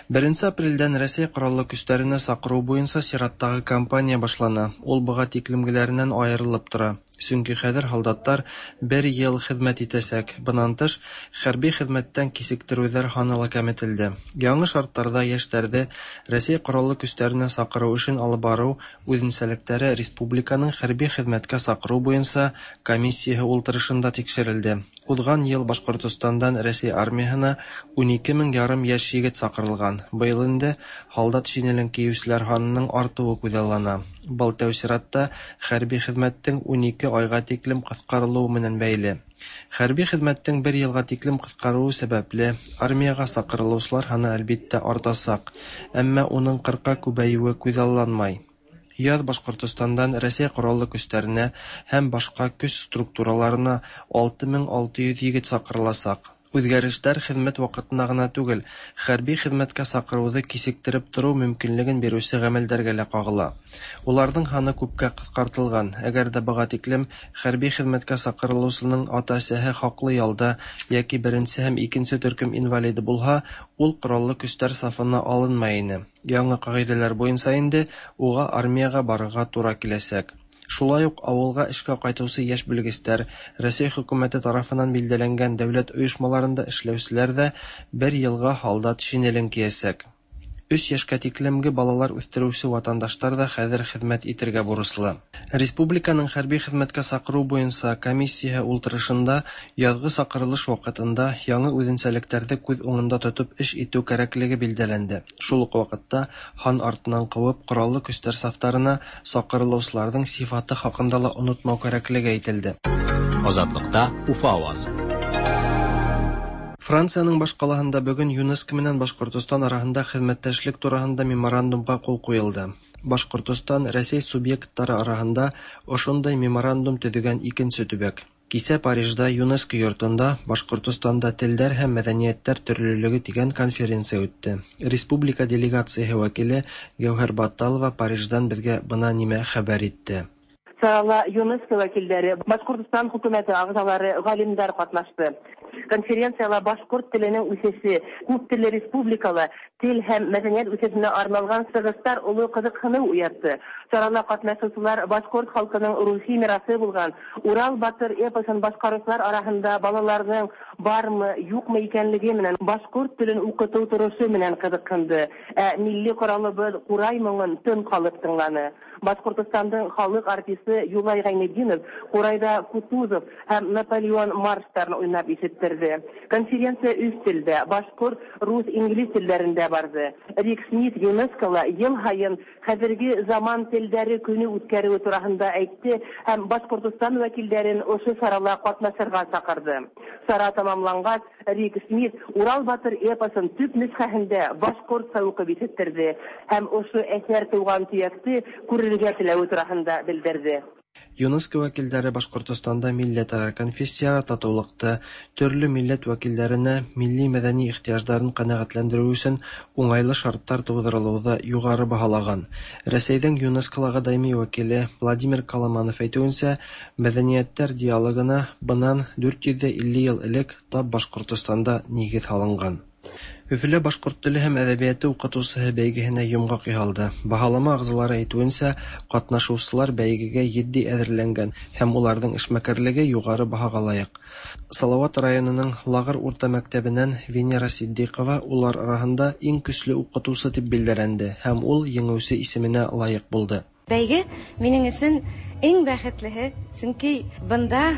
Беренче апрельдән Рәсәй Кораллы көчләренә сакыру буенча чираттагы кампания башлана. Ул быга тиклемгеләреннән аерылып тора. Чөнки хәзер һалдаттар бер ел хезмәт итәчәк. Быннан тыш, хәрби хезмәттән кисектерүләр һаны ла кәметелде. Яңы шартларда яшьләрде Рәсәй Кораллы көчләренә сакыру эшен алып бару үзенчәлекләре республиканың хәрби хезмәткә сакыру буенча комиссияһе ултырышында тикшерелде. Узган ел Башкортостандан Рәсәй армияһына 12 мең ярым яшь егет сакырылган. Быел инде һалдат шинелен киючеләр һанының артуы күзаллана. Был тәү чиратта хәрби хезмәттең 12 айга тиклем кыскарылуы менән бәйле. Хәрби хезмәттең бер елга тиклем кыскаруы сәбәпле, армиягә сакырылучылар һаны әлбиттә артасак, әмма уның 40-ка күбәюе күзалланмай. Яз Башкортостандан Рәсәй Кораллы көчләренә һәм башка көч структураларына 6600 егет сакырыласак. Үзгәрешләр хезмәт вакытына гына түгел, хәрби хезмәткә сакыруды кисектереп тору мөмкинлеген бирүче гамәлдәргә лә кагыла. Уларның һаны күпкә кыскартылган. Әгәр дә быга тиклем хәрби хезмәткә сакырылучының ата-әсәһе хаклы ялда яки беренче һәм икенче төркем инвалиды булһа, ул кораллы көчләр сафына алынмай ине. Яңы кагыйдәләр буенча инде уга армиягә барырга тура киләчәк. Шулай ук авылга эшкә кайтучы яшь белгечләр, Рәсәй хөкүмәте тарафыннан билдәләнгән дәүләт оешмаларында эшләүчеләр дә бер елга һалдат шинелен киясәк. Өч яшькә тиклемге балалар үстерүче ватандашлар да хәзер хезмәт итергә бурычлы. Республиканың хәрби хезмәткә сакыру буенча комиссияһе ултырышында язгы сакырылыш вакытында яңы үзенчәлекләрде күз уңында тотып эш итү кәрәклеге билдәләнде. Шул ук вакытта һан артыннан куып кораллы көчләр сафтарына сакырылучыларның сифаты хакында ла онытмау кәрәклеге әйтелде. Азатлыкта Уфа авазы. Франциянең башкалаһында бүген ЮНЕСКО менән Башкортостан араһында хезмәттәшлек тураһында меморандумга кул куелды. Башкортостан Рәсәй субъектлары араһында ошондай меморандум төзегән икенче төбәк. Кисә Парижда ЮНЕСКО йортында Башкортостанда телләр һәм мәдәниятләр төрлелеге дигән конференция үтте. Республика делегацияһе вәкиле Гәүһәр Батталова Париждан безгә бына нимә хәбәр итте. Чарала ЮНЕСКО вәкилләре, Башкортостан хөкүмәте әгъзалары, галимнәр катнашты. Конференцияла башкорт теленең үсеше, күп телле республикала тел һәм мәдәният үсешенә арналган чыгышлар олы кызыксыну уятты. Чарала катнашучылар башкорт халкының рухи мирасы булган Урал батыр эпосын башкаручылар арасында балаларның бармы, юкмы икәнлеге менән башкорт телен укыту торышы менән кызыксынды. Ә милли коралыбыз курай моңын тын калып тыңланы. Башкортостандың халык артисты Юлай Гайнетдинов курайда Кутузов һәм Наполеон марштарын уйнап ишетте. ишеттерде. Конференция өч телдә, башкорт, рус, инглиз телләрендә барды. Рик Смит ЮНЕСКОла ел һаен хәзерге заман телләре көне үткәрүе тураһында әйтте һәм Башкортостан вәкилләрен ошо чарала катнашырга чакырды. Чара тәмамлангач, Рик Смит Урал батыр эпосын төп нөсхәһендә башкортча укып ишеттерде һәм ошо әсәр туган төякте күрергә теләве тураһында белдерде. ЮНЕСКО вәкилләре Башкортостанда милләтара, конфессияара татулыкты, төрле милләт вәкилләренә милли-мәдәни ихтыяҗларын канәгатьләндерү өчен уңайлы шартлар тудырылуды югары баһалаган. Рәсәйнең ЮНЕСКОлагы даими вәкиле Владимир Коломанов әйтүенчә, мәдәниятләр диалогына бынан 450 ел элек тап Башкортостанда нигез һалынган. Өфөлә башкорт теле һәм әдәбияты укытучыһы бәйгеһенә йомгак яһалды. Баһалама әгъзалары әйтүенчә, катнашучылар бәйгегә җитди әзерләнгән һәм уларның эшмәкәрлеге югары баһага лаек. Салават районының Лагыр урта мәктәбеннән Венера Ситдыйкова улар араһында иң көчле укытучы дип билгеләнде һәм ул җиңүче исеменә лаек булды. Бәйге минем өчен иң бәхетлеһе, чөнки бында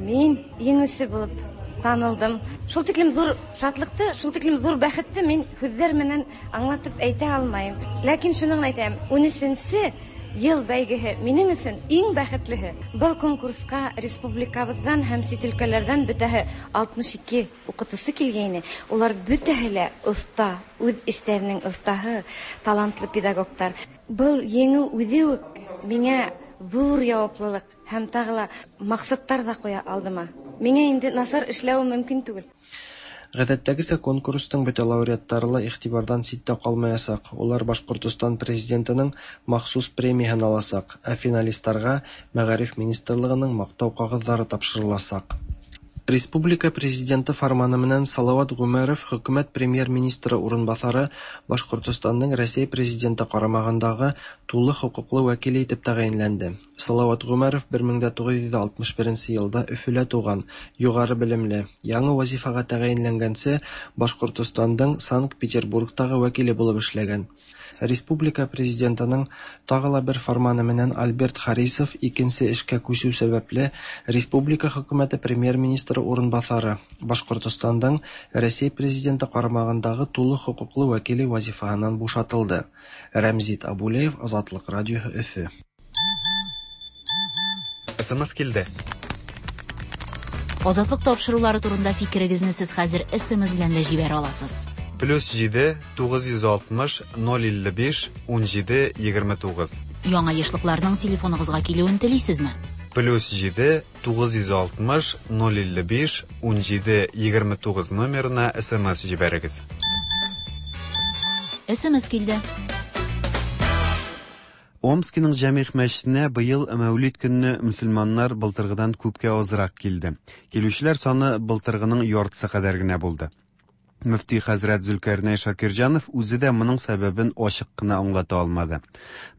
мин җиңүче булып танылдым. Шул тиклем зур шатлыкты, шул тиклем зур бәхетте мин сүзләр менән аңлатып әйтә алмыйм. Ләкин шуны гына әйтәм, 13 ел бәйгеһе минем өчен иң бәхетлеһе. Был конкурска республикабыздан һәм чит өлкәләрдән бөтәһе 62 укытучы килгәйне. Улар бөтәһе лә оста, үз эшләренең остаһы, талантлы педагогтар. Был еңү үҙе үк миңә ҙур яуаплылыҡ һәм тағы ла маҡсаттар ҙа ҡуя алдыма. Миңә инде насар эшләү мөмкин түгел. Гадәттәгечә конкурсның бөтә лауреатлары ла игътибардан читтә калмаячак. Улар Башкортостан президентының махсус премияһын аласак, ә финалистларга Мәгариф министрлыгының мактау кәгазьләре тапшырылачак. Республика президенты фарманы менән Салават Гумеров хөкүмәт премьер-министры урынбасары Башкортостанның Рәсәй президенты карамагындагы тулы хокуклы вәкиле итеп тәгаенләнде. Салават Гумеров 1961 елда Өфөлә туган, югары белемле, яңа вазифага тәгаенләнгәнче Башкортостанның Санкт-Петербургтагы вәкиле булып эшләгән. Республика президентының тагы ла бер фарманы менән Альберт Харисов икенче эшкә күчү сәбәпле республика хөкүмәте премьер-министры урынбасары, Башкортостанның Рәсәй президенты карамагындагы тулы хокуклы вәкиле вазифаһыннан бушатылды. Рәмзит Абулеев, Азатлык радиоһы, Өфе. СМС килде. Азатлык тапшырулары турында фикерегезне сез хәзер СМС белән дә җибәрә аласыз. Плюс 7 960 055 17 29. Яңа ешлыкларның телефоныгызга килүен телисезме? Плюс 7 960 055 17 29 номерына СМС җибәрегез. СМС килде. Омскиның Җәмигъ мәчетенә быел Мәүлид көнне мөселманнар былтыргыдан күпкә азрак килде. Килүчеләр саны былтыргының яртысы кадәр генә булды. Мөфти хәзрәт Зөлкәрнәй Шакирҗанов үзе дә моның сәбәбен ачык кына аңлата алмады.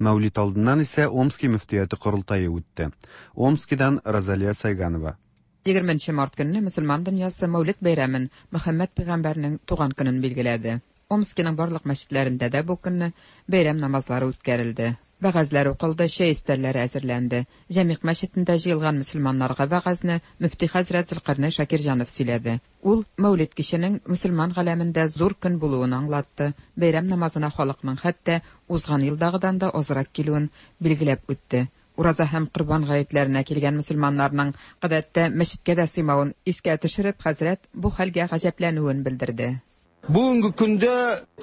Мәүлид алдыннан исә Омски мөфтияте корылтае үтте. Омскидан Розалия Сайганова. 20 март көнне мөселман дөньясы Мәүлид бәйрәмен Мөхәммәд пәйгамбәрнең туган көнен билгеләде. Омскиның барлык мәчетләрендә дә бу көнне бәйрәм намазлары үткәрелде. Вәгазьләр укылды, чәй өстәлләре әзерләнде. Җәмигъ мәчетендә җыелган мөселманнарга вәгазьне мөфти хәзрәт Зөлкарнәй Шакирҗанов сөйләде. Ул Мәүлид киченең мөселман галәмендә зур көн булуын аңлатты. Бәйрәм намазына халыкның хәтта узган елдагыдан да азрак килүен билгеләп үтте. Ураза һәм Корбан гаетләренә килгән мөселманнарның гадәттә мәчеткә дә сыймавын искә төшереп, хәзрәт бу хәлгә гаҗәпләнүен белдерде. Бүгенге көндә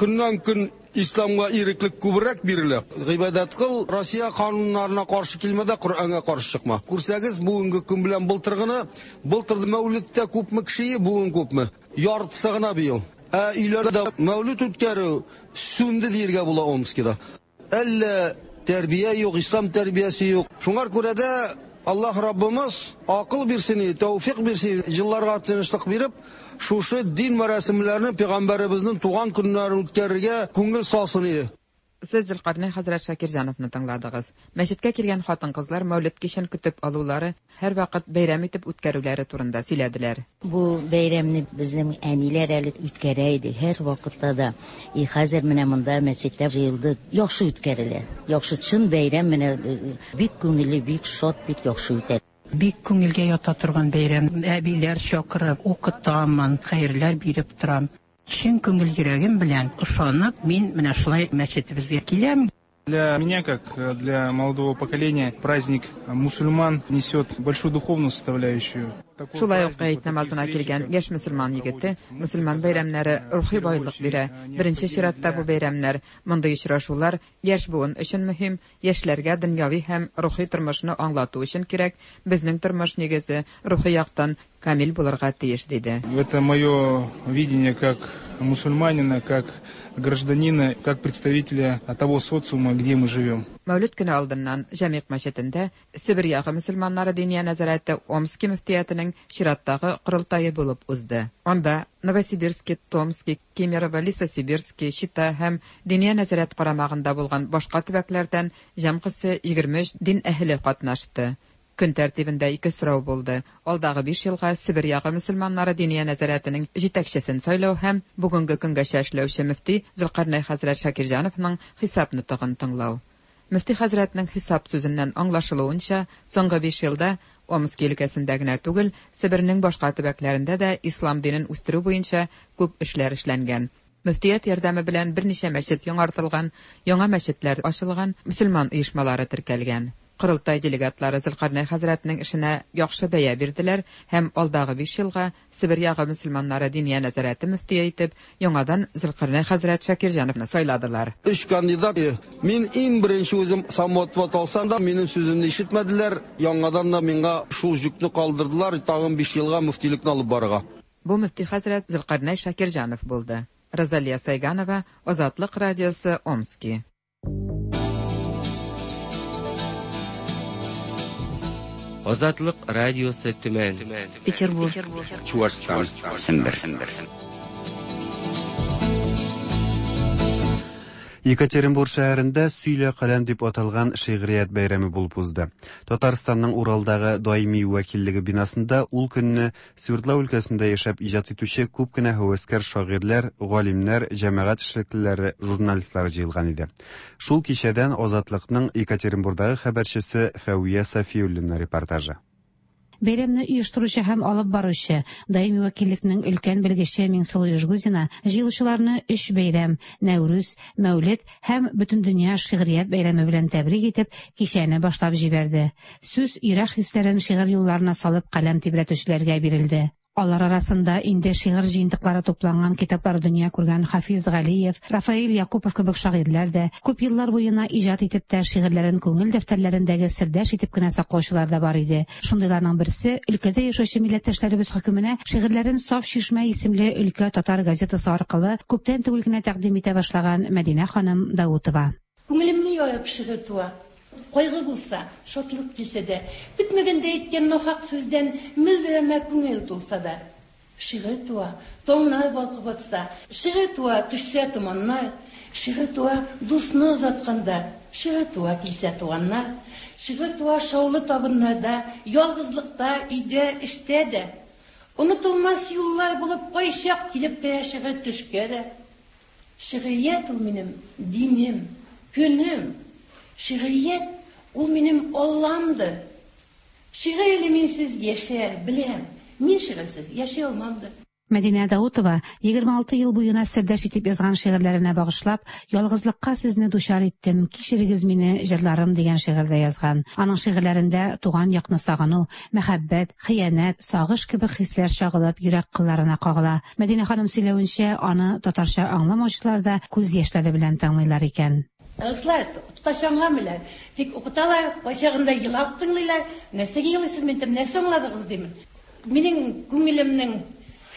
көннән көн исламга иреклек күбрәк бирелә. Гыйбадәт кыл, Россия кануннарына каршы килмә дә, Коръәнгә каршы чыкма. Күрсәгез, бүгенге көн белән былтыргыны, былтыр Мәүлидтә күпме кеше, бүген күпме? Яртысы гына быел. Ә өйләрдә Мәүлид үткәрү сүнде диергә була Омскида. Әллә тәрбия юк, ислам тәрбиясе юк. Шуңар күрә дә Аллаһ Раббымыз акыл бирсен, тәүфик бирсен, елларга тынычлык биреп, шушы дин мәрасимләрен пәйгамбәребезнең туган көннәрен үткәрергә күңел салсын иде. Сез Зөлкарнәй хәзрәт Шакирҗановны тыңладыгыз. Мәчеткә килгән хатын-кызлар Мәүлид кичен көтеп алулары, һәрвакыт бәйрәм итеп үткәрүләре турында сөйләделәр. Бу бәйрәмне безнең әниләр әле үткәрә иде һәр вакытта да. И хәзер менә монда мәчеттә җыелды. Яхшы үткәрелә. Яхшы чын бәйрәм менә бик күңелле, бик шат, бик яхшы үтә. Бик күңелгә ята торган бәйрәм. Әбиләр чакырып, укытамын, хәерләр биреп торам. Чын күңел йөрәгем белән ышанып, мин менә шулай мәчетебезгә киләм. Для меня, как для молодого поколения, праздник мусульман несет большую духовную составляющую. Шулай ук гает намазына килгән яшь мөселман егете, мөселман бәйрәмнәре рухи байлык бирә. Беренче чиратта бу бәйрәмнәр, мондый очрашулар яшь буын өчен мөһим, яшьләргә дөньяви һәм рухи тормышны аңлату өчен кирәк, безнең тормыш нигезе рухи яктан камил булырга тиеш, диде. Это мое видение как мусульманина, как гражданина, как представителя того социума, где мы живем. Мәүлид көне алдыннан Җәмигъ мәчетендә Себер ягы мөселманнары Диния нәзарәте Омски мөфтиятенең чираттагы корылтае булып узды. Анда Новосибирски, Томски, Кемерово, Лесосибирски, Чита һәм Диния нәзарәт карамагында булган башка төбәкләрдән җәмгысе 23 дин әһеле катнашты. Көн тәртибендә ике сорау булды, алдагы биш елга Себер ягы мөселманнары Диния нәзарәтенең җитәкчесен сайлау һәм бүгенге көнгәчә эшләүче мөфти Зөлкарнәй хәзрәт Шакирҗановның хисап нотыгын тыңлау. Мөфти хәзрәтнең хисап сүзеннән аңлашылуынча, соңгы биш елда Омски өлкәсендә генә түгел, Себернең башка төбәкләрендә дә ислам динен үстерү буенча күп эшләр эшләнгән. Мөфтият ярдәме белән берничә мәчет яңартылган, яңа мәчетләр ачылган, мөселман оешмалары теркәлгән. Корылтай делегатлары Зөлкарнәй хәзрәтнең эшенә яхшы бәя бирделәр һәм алдагы биш елга Себер ягы мөселманнары Диния нәзарәте мөфтие итеп яңадан Зөлкарнәй хәзрәт Шакирҗановны сайладылар. Өч кандидат. Мин иң беренче үзем самоотвод алсам да, минем сүземне ишетмәделәр, яңадан да миңа шул җөкне калдырдылар, тагын биш елга мөфтилекне алып барырга. Бу мөфти хәзрәт Зөлкарнәй Шакирҗанов булды. Розалия Сайганова, Азатлык радиосы, Омски. Азатлык радиосы Төмән. Петербург. Чуашстан. Сембер. Екатеринбург шәһәрендә Сөйлә каләм дип аталган шигърият бәйрәме булып узды. Татарстанның Уралдагы даими вәкиллеге бинасында ул көнне Свердлау өлкәсендә яшәп иҗат итүче күп кенә һәвәскәр шагыйрьләр, галимнәр, җәмәгать эшлеклеләре, журналистлар җыелган иде. Шул кичәдән Азатлыкның Екатеринбурдагы хәбәрчесе Фәвия Сафиуллина репортажы. Бәйрәмне оештыручы һәм алып баручы, даими вәкиллекнең өлкән белгече Миңсылу Ижгузина җыелучыларны өч бәйрәм, Нәүрүз, Мәүлед һәм Бөтендөнья шигърият бәйрәме белән тәбрик итеп, кичәне башлап җибәрде. Сүз йөрәк хисләрен шигырь юлларына салып каләм тибрәтүчеләргә бирелде. Алар арасында инде шигырь җыентыклары тупланган китаплар дөнья күргән Хафиз Галиев, Рафаэль Якупов кебек шагыйрьләр дә, күп еллар буена иҗат итеп тә шигырьләрен күңел дәфтәрләрендәге сердәш итеп кенә саклаучылар да бар иде. Шундыйларның берсе, өлкәдә яшәүче милләттәшләребез хөкеменә шигырьләрен Саф чишмә исемле өлкә татар газетасы аркылы күптән түгел генә тәкъдим итә башлаган Мәдинә ханым Даутова. Күңелемне ярып шигырь туа. Кайгы булса, шатлык килсә дә, көтмәгәндә әйткән нахак сүздән мөлдерәмә күңел тулса да. Шигырь туа, таңнар балкып атса, шигырь туа, төшсә томаннар, шигырь туа, дусны озатканда, шигырь туа, килсә туганнар, шигырь туа шаулы табыннарда, ялгызлыкта, өйдә, эштә дә. Онытылмас юллар булып кайчак килеп керә шигырь төшкә дә. Шигърият ул минем динем, көнем. Шигърият ул минем Алламдыр. Шигырь әле минсез яшәр, беләм. Мин шигырьсез яши алмамдыр. Мәдинә Даутова 26 ел буена сердәш итеп язган шигырьләренә багышлап, Ялгызлыкка сезне дучар иттем, кичерегез мине, җырларым дигән шигырь дә язган. Аның шигырьләрендә туган якны сагыну, мәхәббәт, хыянәт, сагыш кебек хисләр чагылып, йөрәк кылларына кагыла. Мәдинә ханым сөйләвенчә, аны татарча аңламаучылар да күз яшьләре белән тыңлыйлар икән. Руслар татарча аңламыйлар. Тик укыталар, кайчагында елап тыңлыйлар. Нәрсәгә елыйсыз, мин әйтәм, нәрсә аңладыгыз димен. Минем күңелемнең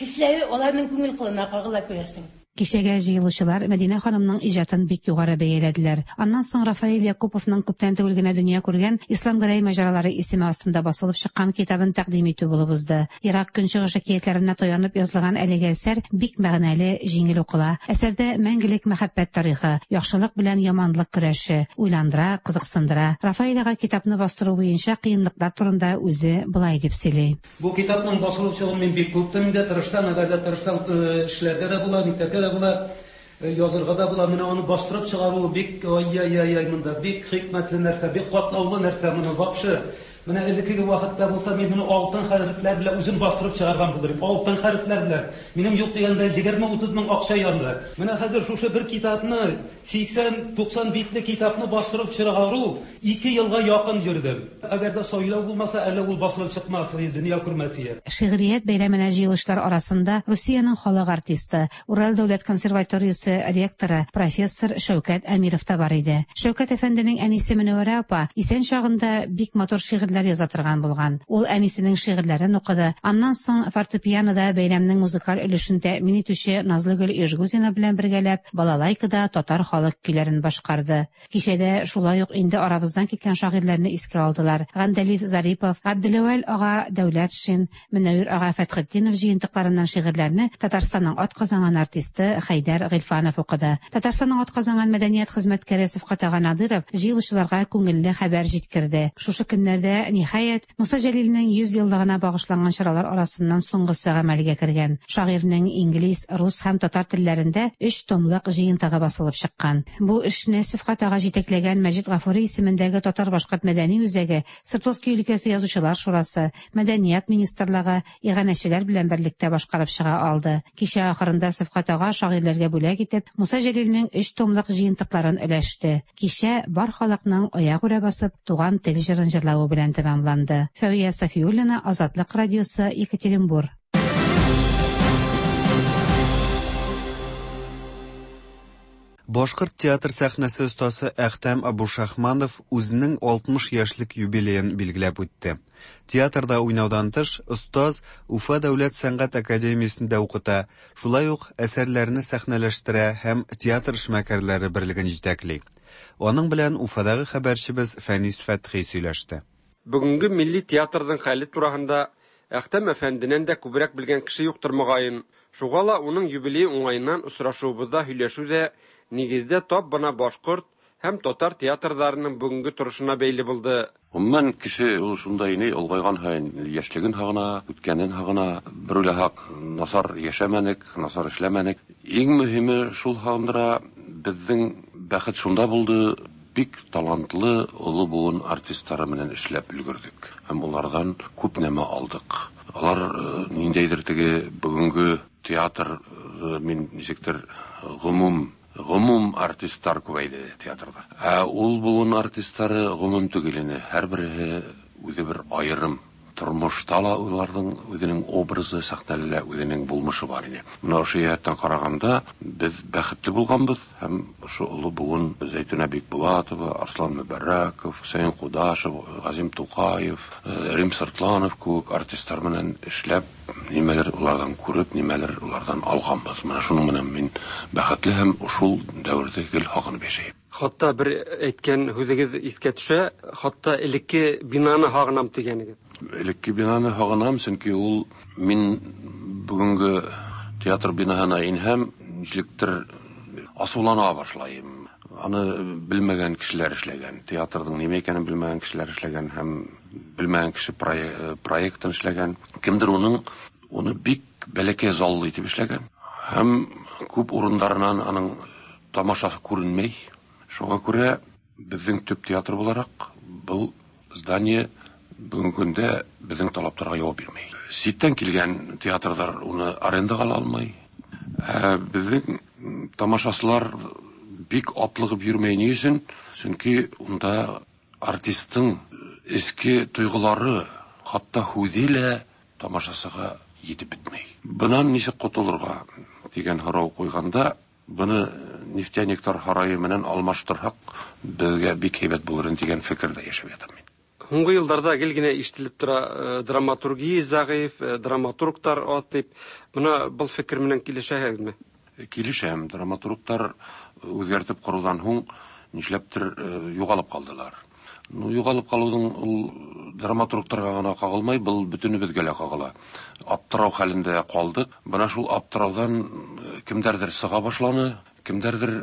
хисләре аларның күңел кылына кагыла, күрәсең. Кичәгә җыелучылар Мәдинә ханымның иҗатын бик югары бәяләделәр. Аннан соң Рафаэль Якуповның күптән түгел генә дөнья күргән Ислам Гәрәй маҗаралары исеме астында басылып чыккан китабын тәкъдим итү булып узды. Ерак Көнчыгыш әкиятләренә таянып язылган әлеге әсәр бик мәгънәле, җиңел укыла. Әсәрдә мәңгелек мәхәббәт тарихы, яхшылык белән яманлык көрәше, уйландыра, кызыксындыра. Рафаэль ага китапны бастыру буенча кыенлыклар турында үзе болай дип сөйли. Бу китапның басылып чыгуын мин бик көттем инде, тырышсаң, әгәр дә тырышсаң, эшләргә дә була, нитәргә дә була, язырга да була. Менә аны бастырып чыгаруы бик, ай-яй-яй-яй, монда бик хикмәтле нәрсә, бик катлаулы нәрсә. Моны вообще Менә элеккеге вакытта булса, мин моны алтын хәрефләр белән үзем бастырып чыгарган булыр идем. Алтын хәрефләр белән. Минем юк дигәндә 20-30 мең акча янды. Менә хәзер шушы бер китапны, 80-90 битле китапны бастырып чыгару ике елга якын йөрдем. Әгәр дә сайлау булмаса, әле ул басылып чыкмас иде, дөнья күрмәс иде. Шигърият бәйрәменә җыелучылар арасында Русиянең халык артисты, Урал дәүләт консерваториясе ректоры, профессор Шәүкәт Әмиров та бар иде. Шәүкәт әфәнденең әнисе Мөнәвәрә апа исән чагында бик матур шигырьләр яза торган булган. Ул әнисенең шигырьләрен укыды. Аннан соң фортепианода бәйрәмнең музыкаль өлешен тәэмин итүче Назлыгөл Ижгузина белән бергәләп балалайкада татар халык көйләрен башкарды. Кичәдә шулай ук инде арабыздан киткән шагыйрьләрне искә алдылар. Гандәлиф Зарипов, Габделәүәл ага Дәүләтшин, Мөнәвир ага Фәтхетдинов җыентыкларыннан шигырьләрне Татарстанның атказанган артисты Хәйдәр Гыйльфанов укыды. Татарстанның атказанган мәдәният хезмәткәре Сөфкать ага Надыров җыелучыларга күңелле хәбәр җиткерде. Шушы көннәрдә, ниһаять, Муса Җәлилнең 100 еллыгына багышланган чаралар арасыннан соңгысы гамәлгә кергән. Шагыйрьнең инглиз, рус һәм татар телләрендә өч томлык җыентыгы басылып чыккан. Бу эшне Сөфкать ага җитәкләгән Мәҗит Гафури исемендәге Татар-башкорт мәдәни үзәге, Свердловски өлкәсе Язучылар шурасы, Мәдәният министрлыгы, иганәчеләр белән берлектә башкарып чыга алды. Кичә ахырында Сөфкать ага шагыйрьләргә бүләк итеп, Муса Җәлилнең өч томлык җыентыкларын өләште. Кичә бар халыкның аягүрә басып, Туган тел җырын җырлавы белән тәмамланды. Фәвия Сафиуллина, Азатлык радиосы, Екатеринбур. Башкорт театр сәхнәсе остасы Әхтәм Абушахманов үзенең 60 яшьлек юбилеен билгеләп үтте. Театрда уйнаудан тыш, остаз Уфа дәүләт сәнгать академиясендә укыта, шулай ук әсәрләрне сәхнәләштерә һәм театр эшмәкәрләре берлеген җитәкли. Аның белән Уфадагы хәбәрчебез Фәнис Фәтхи сөйләште. Бүгенге милли театрның хәле тураһында Әхтәм әфәнденән дә күбрәк белгән кеше юктыр, мөгаен. Шуга ла уның юбилее уңаеннан очрашуыбызда һөйләшү дә, нигездә, тап бына башкорт һәм татар театрдарының бүгенге торышына бәйле булды. Гомумән, кеше ул шундай ни, олгайган һаен яшьлеген һагына, үткәнен һагына. Бер уйласак, насар яшәмәнек, насар эшләмәнек. Иң мөһиме шул һагындыра, безнең бәхет шунда булды, бик талантлы олы буын артистлары белән эшләп өлгердек һәм улардан күп нәмә алдык. Алар ниндәйдер теге бүгенге театр, мин ничектер гомум, гомум артистлар күбәйде театрда. Ә ул буын артистлары гомум түгел ине, һәрбереһе үзе бер аерым. Тормышта ла уларның үзенең образы, сәхнәдә лә үзенең булмышы бар иде. Менә ошо җәһәттән караганда, без бәхетле булганбыз һәм ошо олы буын Зәйтүнә Бикбулатова, Арслан Мөбәрәков, Хөсәен Кудашев, Газим Тукаев, Рим Сыртланов кебек артистлар белән эшләп, нимәлер улардан күреп, нимәлер улардан алганбыз. Менә шуның белән мин бәхетле һәм шул дәвердә гел һагынып яшәйм. Хатта бер әйткән һүзегез искә төшә, хатта элекке бинаны һагынам дигәнегез. Элекке бинаны һагынам, чөнки ул мин бүгенге театр бинаһына инһәм, ничектер асулана башлайым. Аны белмәгән кешеләр эшләгән, театрның нимә икәнен белмәгән кешеләр эшләгән һәм белмәгән кеше проектын эшләгән. Кемдер уның уны бик бәләкәй заллы итеп эшләгән һәм күп урыннарыннан аның тамашасы күренмәй. Шуңа күрә безнең төп театр буларак был здание бүгенге көндә безнең талапларга җавап бирмәй. Читтән килгән театрлар уны арендага ала алмый. Ә безнең тамашачылар бик атлыгып йөрмәй ни өчен? Чөнки унда артистның эчке тойгылары, хатта һүзе лә тамашачыга җитеп бетмәй. Бынан ничек котылырга дигән һорау куйганда, Быны нефтяниклар һарае менән алмаштырһак, безгә бик һәйбәт булыр иде дигән фикердә яшәп ятам мин. Һуңгы елларда гел генә ишетелеп тора, драматургия зәгыйфь, драматургтар аз дип. Мына был фикер менән килешәһегезме? Килешәм. Драматургтар үзгәртеп корудан һуң нишләптер югалып калдылар. Ну, югалып калуның ул драматургтарга гына кагылмай, был бөтенебезгә лә кагыла. Аптырау хәлендә калдык. Менә шул аптыраудан кемдәрдер сыга башланы, кемдәрдер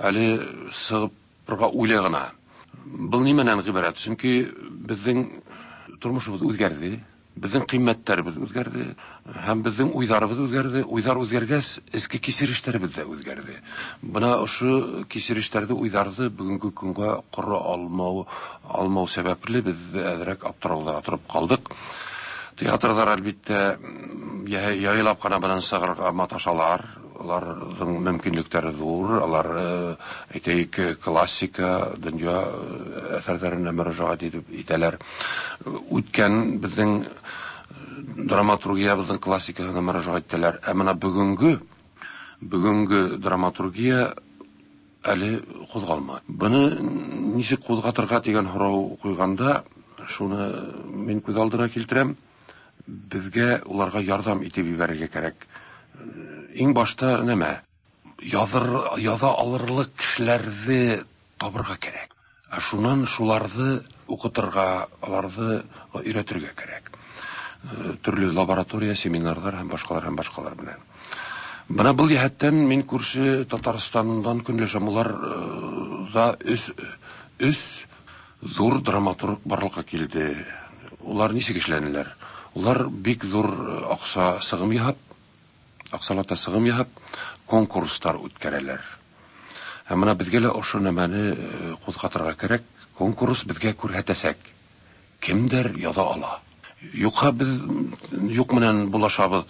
әле сыгып уйлый гына. Был нимәнән гыйбарәт? Чөнки безнең тормышыбыз үзгәрде. Безнең кыйммәтләребез үзгәрде һәм безнең уйларыбыз үзгәрде. Уйлар үзгәргәч, эчке кичерешләребез дә үзгәрде. Менә ошо кичерешләрне, уйларны бүгенге көнгә кора алмау, алмау сәбәпле без әзрәк аптырауда торып калдык. Театрлар, әлбиттә, яйлап кына белән чыгарга маташалар. Аларның мөмкинлекләре зур, алар, әйтәйек, классика, дөнья әсәрләренә мөрәҗәгать итеп итәләр. Үткән безнең драматургиябезнең классикасына мөрәҗәгать итәләр. Ә менә бүгенге бүгенге драматургия әле кузгалмады. Буны ничек кузгатырга дигән сорау куйганда, шуны мин күз алдына килтерәм. Безгә уларга ярдәм итеп җибәрергә кирәк. Иң башта нәмә? Языр, яза алырлык кешеләрне табырга кирәк. Ә шуннан шуларны укытырга, аларны өйрәтергә кирәк. Төрле лаборатория, семинарлар һәм башкалар һәм башкалар белән. Менә был җәһәттән мин күрше Татарстаннан көнләшәм. Улар да өс өс зур драматург барлыкка килде. Улар ничек эшләнеләр? Улар бик зур акча сыгым яһап, акчалата сыгым яһап, конкурслар үткәрәләр. Һәм менә безгә лә ошо нәмәне кузгатырга кирәк. Конкурс безгә күрһәтәсәк, кемдер яза ала. Юкка без юк менән булашабыз.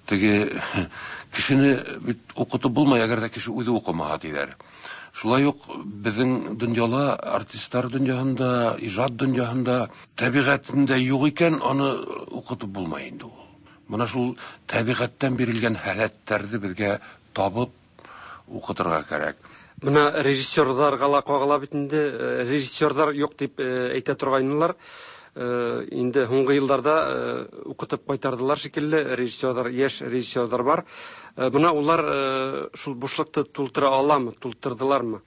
Теге кешене бит укытып булмый, әгәр дә кеше үзе укымаса диләр. Шулай ук безнең дөньяла, артистлар дөньясында, иҗат дөньясында табигатендә юк икән, аны укытып булмый инде ул. Менә шул табигатьтән бирелгән халәтләрне безгә табып укытырга кирәк. Менә режиссерларга ла кагыла бит инде, режиссерлар юк дип әйтә торгайнылар. Инде һуңгы елларда укытып кайтардылар шикелле, режиссерлар, яшь режиссерлар бар. Менә улар шул бушлыкты тултыра аламы, тултырдылармы?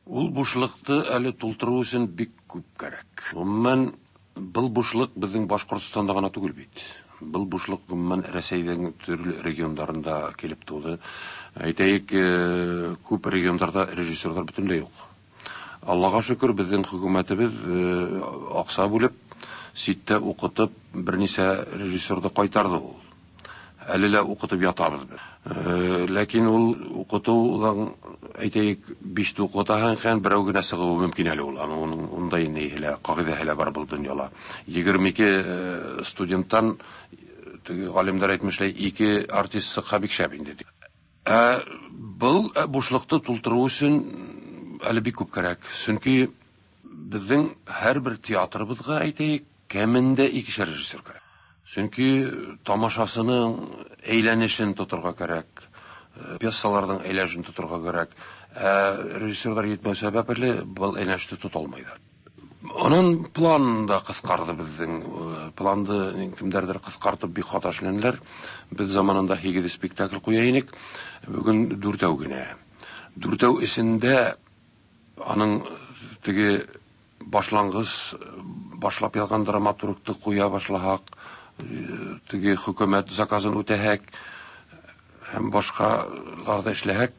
Ул бушлыкты әле тултыру өчен бик күп кирәк. Гомумән, был бушлык безнең Башкортстанда гына түгел бит. Был бушлык гомумән Рәсәйнең төрле регионнарында килеп туды. Әйтәйек, күп регионнарда режиссерлар бөтенләй юк. Аллага шөкер, безнең хөкүмәтебез акча бүлеп, читтә укытып, берничә режиссерны кайтарды ул. Әле лә укытып ятабыз без. Ләкин ул укытудан, әйтәйек, биш укытаһың икән, берәү генә чыгуы мөмкин әле ул. Аның уның ундай ни һелә, кагыйдә һелә бар был дөньяла. 22 студенттан, теге галимнәр әйтмешләй, 2 артист чыкса бик шәп инде. Ә был бушлыкты тултыру өчен әле бик күп кирәк. Чөнки безнең һәрбер театрыбызга, әйтәйек, кәмендә икешәр режиссер кирәк. Чөнки тамашасының әйләнешен тотырга кирәк, пьесаларның әйләнешен тотырга кирәк. Ә режиссерлар җитмәү сәбәпле был әйләнешне тота алмыйлар. Анын план да кыскарды безнең. Планды кемдәрдер кыскартып бик хата эшләнделәр. Без заманында 8 спектакль куя инек. Бүген дүртәү генә. Дүртәү эчендә аның теге башлангыч башлап язган драматургты куя башлаһак, теге хөкүмәт заказын үтәһәк һәм башкаларда эшләһәк,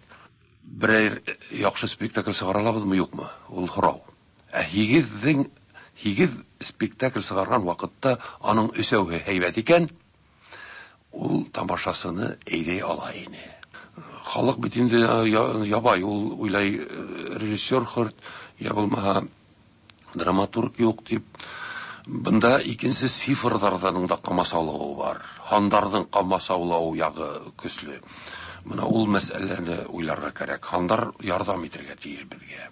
берәр яхшы спектакль чыгара алабызмы, юкмы? Ул сорау. Ә һигез спектакль чыгарган вакытта аның өсәүе һәйбәт икән, ул тамашасыны әйдәй ала ине. Халык бит инде ябай, ул уйлай режиссер хөрт, я булмаһа драматург юк дип. Бында икенче цифрлардан да камасаулавы бар. Һандарның камасаулавы ягы көчле. Менә ул мәсьәләне уйларга кирәк. Һандар ярдәм итәргә тиеш безгә.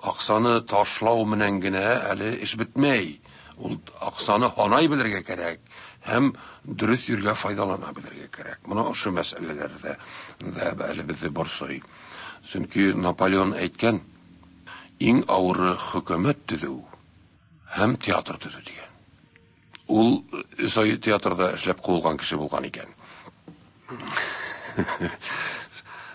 Аксаны ташлау менән генә әле эш бетмәй. Ул аксаны һанай белергә кирәк һәм дөрес йөргә файдалана белергә кирәк. Менә ошо мәсьәләләрдә дә әле безне борсый. Чөнки Наполеон әйткән, иң авыры хөкүмәт төзү һәм театр төзү дигән. Ул өч ай театрда эшләп куылган кеше булган икән.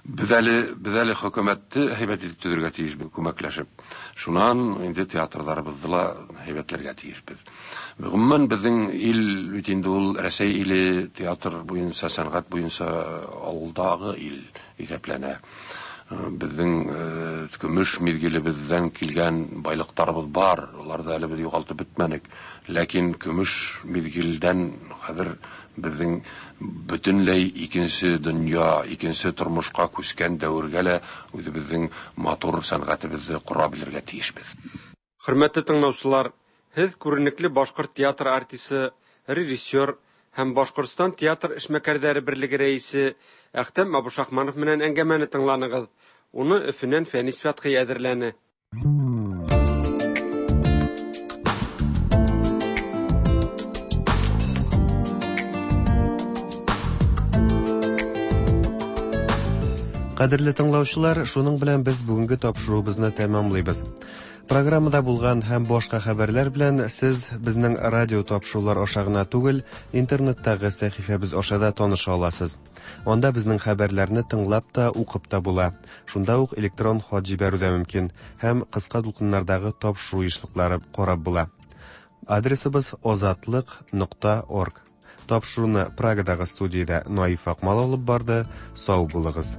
Без әле хөкүмәтне һәйбәт итеп төзергә тиешбез, күмәкләшеп. Шуннан инде театрларыбызны ла һәйбәтләргә тиешбез. Гомумән, безнең ил бит инде ул Рәсәй иле театр буенча, сәнгать буенча алдагы ил исәпләнә. Безнең көмеш мизгелебездән килгән байлыктарыбыз бар, аларны әле без югалтып бетмәдек. Ләкин көмеш мизгелдән хәзер безнең бөтенләй икенче дөнья, икенче тормышка күчкән дәвергә лә үзебезнең матур сәнгатебезне кора белергә тиешбез. Хөрмәтле тыңлаучылар, һеҙ күренекле башҡорт театр артисы, режиссер һәм Башҡортостан театр эшмәкәрҙәре берлеге рәйесе Әхтәм Абушахманов менән әңгәмәне тыңланығыҙ. Уны Өфөнән Фәнис Фәтхи әҙерләне. Кадерле тыңлаучылар, шуның белән без бүгенге тапшыруыбызны тәмамлыйбыз. Программада булган һәм башка хәбәрләр белән сез безнең радио тапшырулар аша гына түгел, интернеттагы сәхифәбез аша да таныша аласыз. Анда безнең хәбәрләрне тыңлап та, укып та була. Шунда ук электрон хат җибәрү дә мөмкин һәм кыска дулкыннардагы тапшыру ешлыклары карап була. Адресыбыз озатлык.орг. Тапшыруны Прагадагы студиядә Наиф Акмал алып барды. Сау булыгыз.